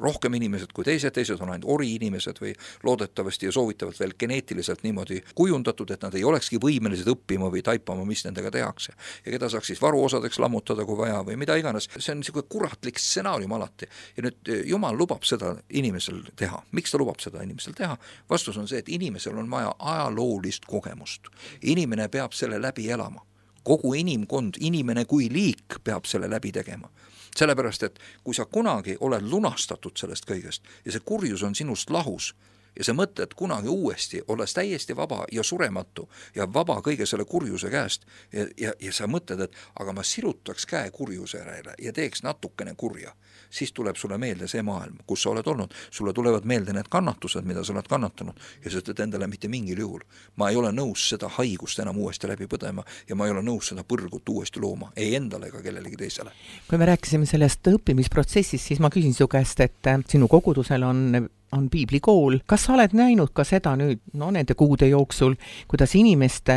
rohkem inimesed kui teised on ainult ori inimesed või loodetavasti ja soovitavalt veel geneetiliselt niimoodi kujundatud, et nad ei olekski võimelised õppima või taipama, mis nendega tehakse. Ja keda saaks siis varuosadeks lammutada, kui vaja või mida iganes. See on niisugune kuratlik stsenaarium alati. Ja nüüd Jumal lubab seda inimesel teha. Miks ta lubab seda inimesel teha? Vastus on see, et inimesel on vaja ajaloolist kogemust. Inimene peab selle läbi elama. Kogu inimkond, inimene kui liik peab selle läbi tegema. Sellepärast, et kui sa kunagi oled lunastatud sellest kõigest ja see kurjus on sinust lahus, ja sa mõtled kunagi uuesti, olles täiesti vaba ja surematu ja vaba kõige selle kurjuse käest ja sa mõtled, et aga ma sirutaks käe kurjuse järele ja teeks natukene kurja, siis tuleb sulle meelde see maailm, kus sa oled olnud, sulle tulevad meelde need kannatused, mida sa oled kannatanud ja sa ütled endale mitte mingil juhul. Ma ei ole nõus seda haigust enam uuesti läbi põdema ja ma ei ole nõus seda põrgut uuesti looma, ei endale ega kellelegi teisele. Kui me rääkisime sellest õppimisprotsessist, siis ma küsin su käest, et sinu kogudusel on piiblikool. Kas sa oled näinud ka seda nüüd, nende kuude jooksul, kuidas inimeste,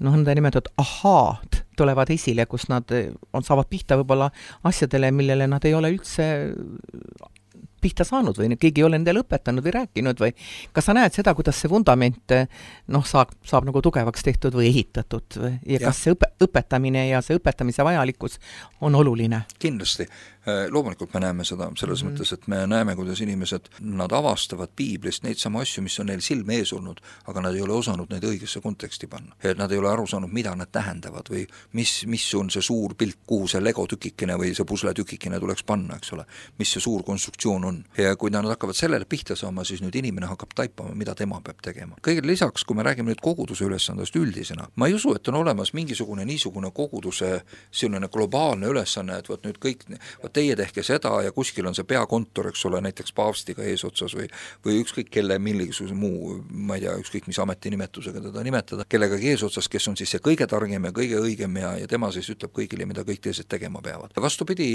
nõnda nimetatud ahaad tulevad esile, kus nad saavad pihta võib-olla asjadele, millele nad ei ole üldse pihta saanud või keegi ei ole endale õpetanud või rääkinud või kas sa näed seda, kuidas see vundament saab nagu tugevaks tehtud või ehitatud ja kas see õpetamine ja see õpetamise vajalikkus on oluline? Kindlasti. Loomulikult me näeme seda selles mõttes, et me näeme, kuidas inimesed, nad avastavad piiblist neid samu asju, mis on neil silme ees olnud, aga nad ei ole osanud neid õigesse konteksti panna. Et nad ei ole aru saanud, mida nad tähendavad või mis on see suur pilt, kuhu see Lego tükikene või see pusle tükikene tuleks panna, eks ole, mis see suur konstruktsioon on. on. Ja kui nad hakkavad sellele pihta saama, siis nüüd inimene hakkab taipama, mida tema peab tegema. Kõigele lisaks, kui me räägime nüüd koguduse ülesandest üldisena, ma ei usu, et on olemas mingisugune niisugune koguduse selline globaalne ülesanne, et võt nüüd kõik, teie tehke seda ja kuskil on see peakontor, eks ole, näiteks paavstiga eesotsas või ükskõik kelle millisuse muu, ma ei tea, ükskõik mis ametinimetusega teda nimetada, kellegagi eesotsas, kes on siis see kõige targem ja kõige õigem ja tema siis ütleb kõigile, mida kõik teised tegema peavad. Vastupidi,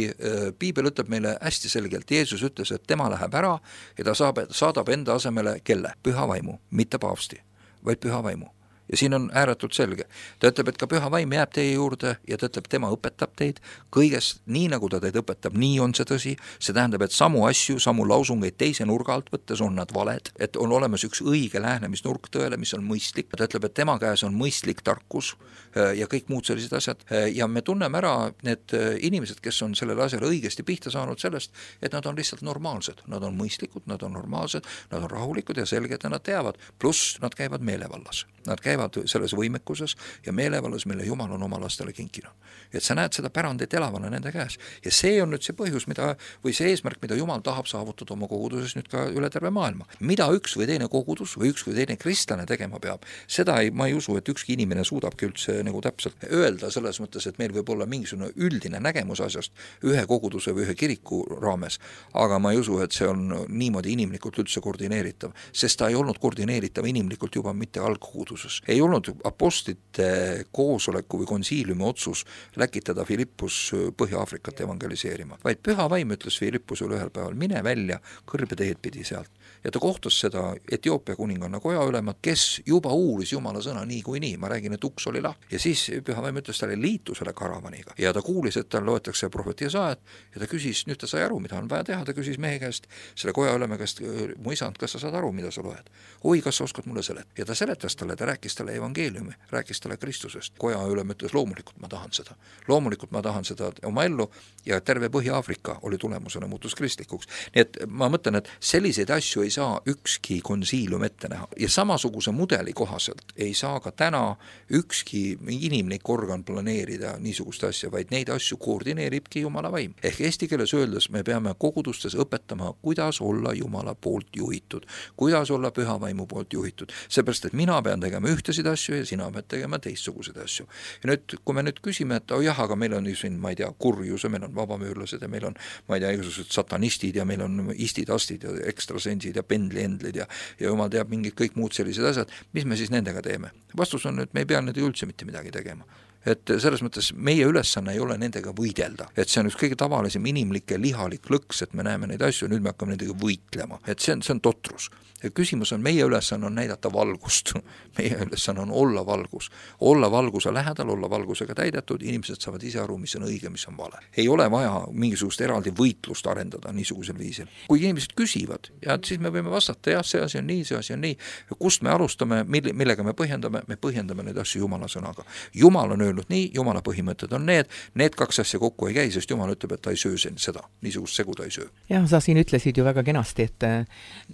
piibel ütleb meile hästi selgelt, Jeesus ütles, et tema läheb ära ja ta saadab enda asemele kelle? Püha vaimu, mitte paavsti, vaid püha vaimu. Ja siin on ääretult selge. Ta ütleb, et ka püha vaim jääb teie juurde ja ta ütleb, tema õpetab teid kõigest nii, nagu ta teid õpetab, nii on see tõsi. See tähendab, et samu asju, samu lausungeid teise nurga alt võttes on nad valed, et on olemas üks õige lähenemisnurk tõele, mis on mõistlik. Ta ütleb, et tema käes on mõistlik tarkus ja kõik muud sellised asjad. Ja me tunneme ära need inimesed, kes on sellele asjale õigesti pihta saanud sellest, et nad on lihtsalt normaalsed. Nad on mõistlikud, nad on normaalsed, nad on rahulikud ja selged ja nad teavad. Pluss nad käivad meelevallas. Nad käivad selles võimekuses ja meelevallas, mille Jumal on oma lastele kinkinud. Et sa näed seda pärandit elavana nende käes. Ja see on nüüd see põhjus, või see eesmärk, mida Jumal tahab saavutada oma koguduses nüüd ka üle terve maailma. Mida üks või teine kogudus või üks või teine kristlane tegema peab, seda ma ei usu, et ükski inimene suudabki üldse nagu täpselt öelda selles mõttes, et meil võib olla mingisugune üldine nägemus asjast ühe koguduse või ühe kiriku raames, aga ma ei usu, et see on niimoodi inimlikult üldse koordineeritav, sest ta ei olnud koordineeritav inimlikult juba mitte algkoguduses. Ei olnud apostlite koosoleku või konsiiliumi otsus läkitada Filippus Põhja-Aafrikat evangeliseerima, vaid püha vaim ütles Filippusele ühel päeval, mine välja kõrbeteed pidi sealt. Ja ta kohtus seda Etioopia kuninganna koja ülemat, kes juba uuris Jumala sõna nii kui nii, ma räägin, et uks oli lahti. Ja siis püha vaim ütles talle, liitu selle karavaniga. Ja ta kuulis, et tal loetakse prohveti Jesaajat ja ta küsis, nüüd ta sai aru, mida on vaja teha, ta küsis mehe käest, selle koja ülema käest, mu isand, kas sa saad aru, mida sa loed? Oi, kas sa oskad mulle seletada? Ja ta seletas talle, ta rääkis talle evangeeliumi, rääkis talle Kristusest. Koja ülem ütles, loomulikult ma tahan seda. Loomulikult ma tahan seda oma ellu ja terve Põhja-Aafrika oli tulemusena muutus kristlikuks. Nii et ma mõtlen, et selliseid asju ei saa ükski konsiilium ette näha. Ja samasuguse mudeli kohaselt ei saa ka täna ükski inimlik organ planeerida niisugust asja, vaid neid asju koordineeribki Jumala vaim. Ehk eesti keeles öeldes me peame kogudustes õpetama, kuidas olla Jumala poolt juhitud, kuidas olla püha vaimu poolt juhitud. Seepärast, et mina pean tegema ühtesid asju ja sina pead tegema teistsuguseid asju. Ja nüüd, kui me nüüd küsime, et jah, aga meil on ju siin, ma ei tea, kurjus ja meil on vabamüürlased ja meil on, ma ei tea, igasugused satanistid ja meil on istid-astid ja ekstrasensid ja pendliendlid ja jumal teab mingid kõik muud sellised asjad, mis me siis nendega teeme? Vastus on, et me ei pea nendega üldse mitte midagi tegema. Et selles mõttes meie ülesanne ei ole nendega võidelda. Et see on üks kõige tavalisem inimlik ja lihalik lõks, et me näeme neid asju, nüüd me hakkame nendega võitlema. Et see on totrus. Ja küsimus on, meie ülesanne on näidata valgust. Meie ülesanne on olla valgus. Olla valguse lähedal, olla valgusega täidetud, inimesed saavad ise aru, mis on õige, mis on vale. Ei ole vaja mingisugust eraldi võitlust arendada niisugusel viisil. Kui inimesed küsivad, ja siis me võime vastata, jah, see asi on nii, see asi on nii. Kust me alustame, millega me põhjendame neid asju Jumala sõnaga. Jumal on öelnud nii, Jumala põhimõtted on need kaks asja kokku ei käi, sest Jumal ütleb, et ta ei söö seda, niisugust segu ta ei söö. Jah, sa siin ütlesid ju väga kenasti,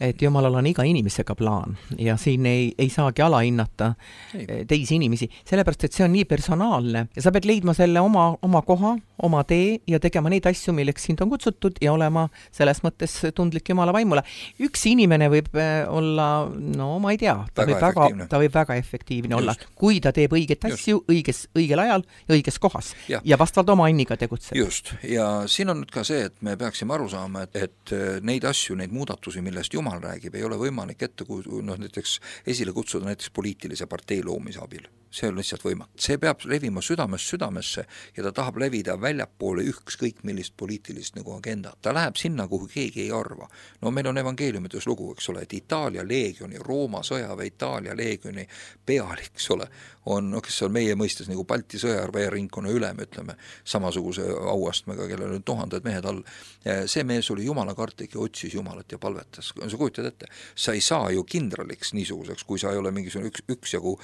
et Jumalal on iga inimesega plaan ja siin ei saagi alahinnata teisi inimesi, sellepärast, et see on nii personaalne ja sa pead leidma selle oma koha, oma tee ja tegema neid asju, milleks sind on kutsutud ja olema selles mõttes tundlik Jumala vaimule. Üks inimene võib olla, no ma ei tea, ta võib väga efektiivne olla, kui ta teeb õiget asju õigel ajal ja õiges kohas ja vastavalt oma anniga tegutseb. Just, ja siin on nüüd ka see, et me peaksime aru saama, et neid asju, neid muudatusi, millest Jumal räägib, ei ole võimalik ette näiteks esile kutsuda näiteks poliitilise partei loomise abil. See on lihtsalt võimatu. See peab levima südamesse ja ta tahab levida väljapoole ükskõik millist poliitilist nagu agenda. Ta läheb sinna, kuhu keegi ei arva. No meil on evangeeliumites lugu, eks ole, et Itaalia leegioni, Rooma sõjaväe Itaalia leegioni pealik, eks ole, on, kes on meie mõistes nagu Balti sõjaväeringkonna ülem, ütleme, samasuguse auastmega, kellel on tuhanded mehed all. See mees oli Jumala kartlik ja otsis Jumalat ja palvetas. Sa kujutad ette, sa ei saa ju kindraliks niisuguseks, kui sa ei ole mingisugune üksjagu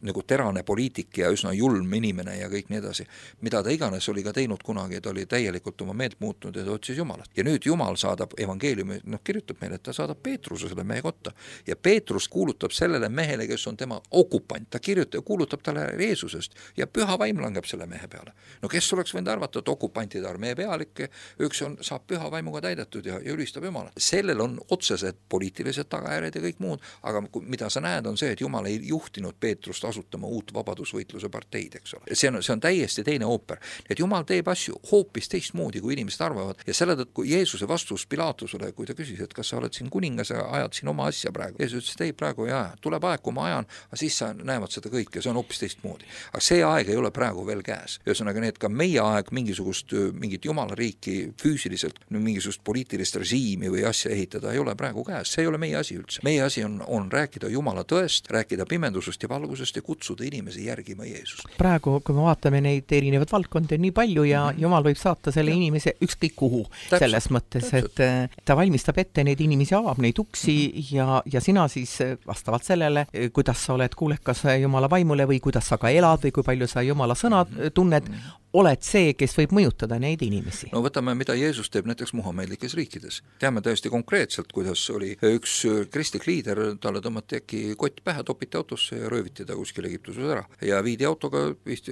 nagu terav karane poliitik ja üsna julm inimene ja kõik nii edasi. Mida ta iganes oli ka teinud kunagi, ta oli täielikult oma meelt muutnud ja ta otsis Jumalat. Ja nüüd Jumal saadab evangeeliumi, kirjutab meile, et ta saadab Peetruse selle mehe kotta. Ja Peetrus kuulutab sellele mehele, kes on tema okupant, ta kuulutab talle Jeesusest ja püha vaim langeb selle mehe peale. No kes oleks võinud arvata, et okupantide armee pealik, üks saab püha vaimuga täidetud ja ülistab Jumalat. Sellel on otsesed poliitilised tagajärjed ja kõik muud, aga mida sa näed on see, et Jumal ei juhtinud Peetrust asutama uut vabadusvõitluse parteid, eks ole. See on täiesti teine ooper. Et Jumal teeb asju hoopis teistmoodi, kui inimesed arvavad ja selle tõttu Jeesuse vastus Pilatusele, kui ta küsis, et kas sa oled siin kuningas ja ajad siin oma asja praegu. Jeesus ütles, et ei, praegu ei aja. Tuleb aeg, kui ma ajan, aga siis sa näevad seda kõike, see on hoopis teistmoodi. Aga see aeg ei ole praegu veel käes. Ühesõnaga need ka meie aeg mingit jumalariiki füüsiliselt, mingisugust poliitilist režiimi või asja ehitada ei ole praegu käes. See ei ole meie asi üldse. Meie asi on rääkida Jumala tõest, rääkida pimendusest ja valgusest ja kutsuda inimesi järgima Jeesust. Praegu, kui me vaatame neid erinevad valdkondi nii palju ja Jumal võib saata selle inimese ükskõik kuhu. Selles mõttes, et ta valmistab ette neid inimesi, avab neid uksi ja sina siis vastavalt sellele, kuidas sa oled kuulekas Jumala vaimule või kuidas sa ka elad või kui palju sa Jumala sõna tunned, oled see, kes võib mõjutada neid inimesi. No võtame, mida Jeesus teeb näiteks muhamedlikes riikides. Teame täiesti konkreetselt, kuidas oli üks kristlik liider, talle tõmmati äkki kott pähe, topiti autosse ja rööviti ta kuskil Egiptuses ära. Ja viidi autoga,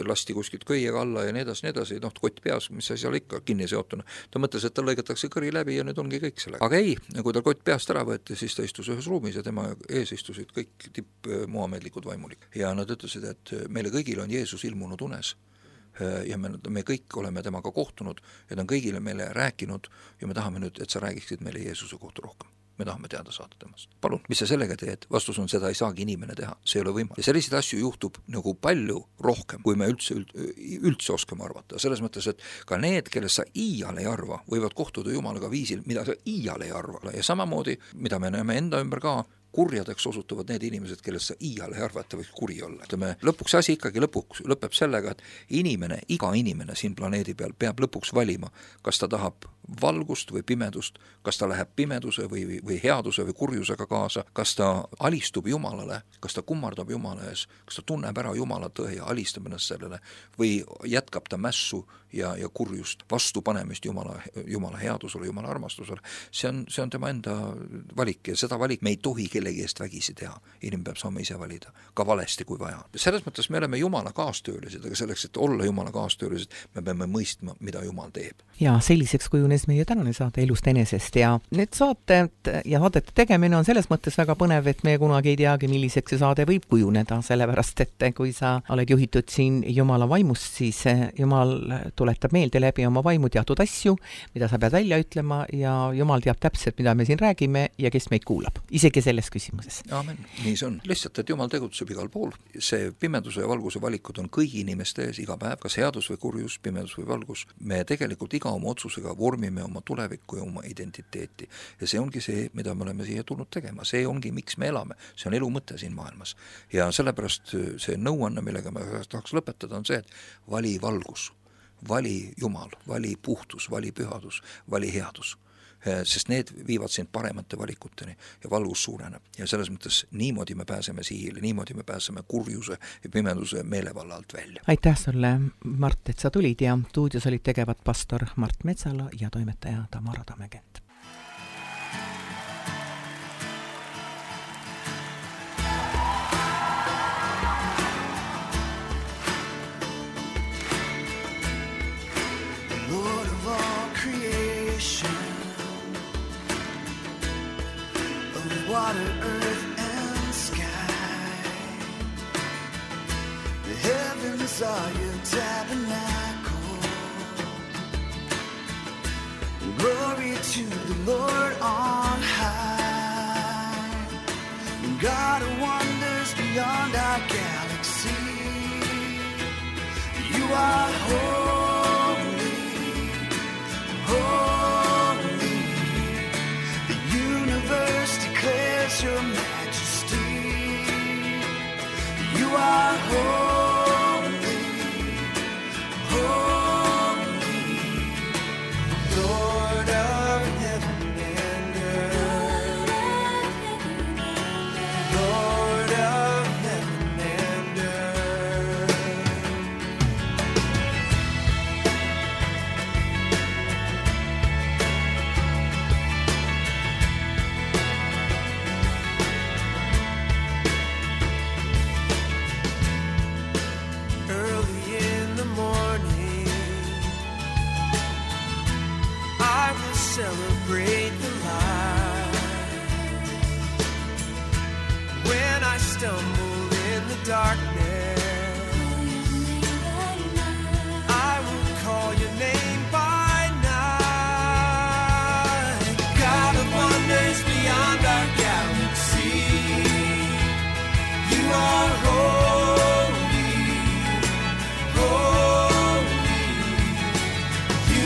lasti kuskilt köiega alla ja nii edasi, kott peas, mis asi seal ikka kinni seotuna. Ta mõtles, et ta lõigatakse kõri läbi ja nüüd ongi kõik selle. Aga ei, kui ta kott peast ära võeti, siis ta istus ühes ruumis ja tema ees istusid kõik muhamedlikud vaimulik. Ja nad ütlesid, et meile kõigil on Jeesus ilmunud unes. Ja me kõik oleme temaga kohtunud ja ta on kõigile meile rääkinud ja me tahame nüüd, et sa räägiksid meile Jeesuse kohta rohkem. Me tahame teada saada temast. Palun, mis sa sellega teed? Vastus on, seda ei saagi inimene teha. See ei ole võimalik. Ja selliseid asju juhtub nagu palju rohkem, kui me üldse oskame arvata. Selles mõttes, et ka need, kellest sa iial ei arva, võivad kohtuda Jumalaga viisil, mida sa iial ei arva. Ja samamoodi, mida me näeme enda ümber ka, kurjadeks osutuvad need inimesed, kellest sa iial ei arvata võiks kuri olla. Lõpuks asi ikkagi lõpeb sellega, et iga inimene siin planeedi peal peab lõpuks valima, kas ta tahab valgust või pimedust, kas ta läheb pimeduse või headuse või kurjusega kaasa, kas ta alistub Jumalale, kas ta kummardab Jumala ees, kas ta tunneb ära Jumala tõe ja alistab ennast sellele või jätkab ta mässu ja kurjust, vastupanemist Jumala headusele, Jumala armastusele. See on tema enda valik ja seda valik me ei tohi kellegi eest vägisi teha. Inimene peab saama ise valida, ka valesti kui vaja. Selles mõttes me oleme Jumala kaastöölised, aga selleks, et olla Jumala kaastöölised, me peame mõistma, mida Jumal teeb. Ja selliseks kujunes meie tänane saate Elust enesest ja need saated ja saadete tegemine on selles mõttes väga põnev, et me kunagi ei teagi, milliseks see saade võib kujuneda, sellepärast, et kui sa oled juhitud siin Jumala vaimust, siis Jumal tuletab meelde läbi oma vaimu teatud asju, mida sa pead välja ütlema ja Jumal teab täpselt, mida me siin räägime ja kes meid kuulab, isegi selles küsimuses. Aamen, nii see on. Lihtsalt, et Jumal tegutseb igal pool. See pimeduse ja valguse valikud on kõigi inimeste ees iga päev, kas headus või kurjus, pimedus või valgus. Me tegelikult iga oma otsusega vormime oma tulevikku ja oma identiteeti. Ja see ongi see, mida me oleme siia tulnud tegema. See ongi, miks me elame. See on elu mõte siin maailmas. Ja sellepärast see nõuanne, millega me tahaks lõpetada, on see, et vali valgus. Vali Jumal, vali puhtus, vali pühadus, vali headus. Sest need viivad sind paremate valikuteni ja valgus suureneb. Ja selles mõttes niimoodi me pääseme sihile, niimoodi me pääseme kurjuse ja pimeduse meelevalla alt välja. Aitäh sulle, Mart, et sa tulid ja stuudios olid tegevad pastor Mart Metsala ja toimetaja Tamara Tammekent. Lord of all creation, water, earth, and sky. The heavens are your tabernacle. Glory to the Lord on high. God of wonders beyond our galaxy. You are holy, holy. The universe declares your majesty. You are holy, holy, Lord of heaven and earth, Lord of heaven and earth. darkness, I will call your name by night. God of wonders beyond our galaxy, you are holy, holy.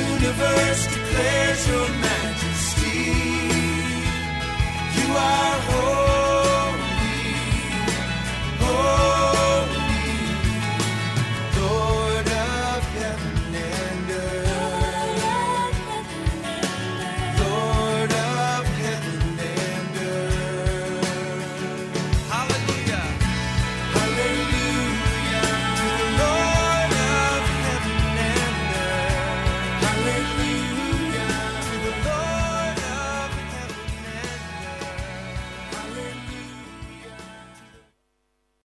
Universe declares your majesty. You are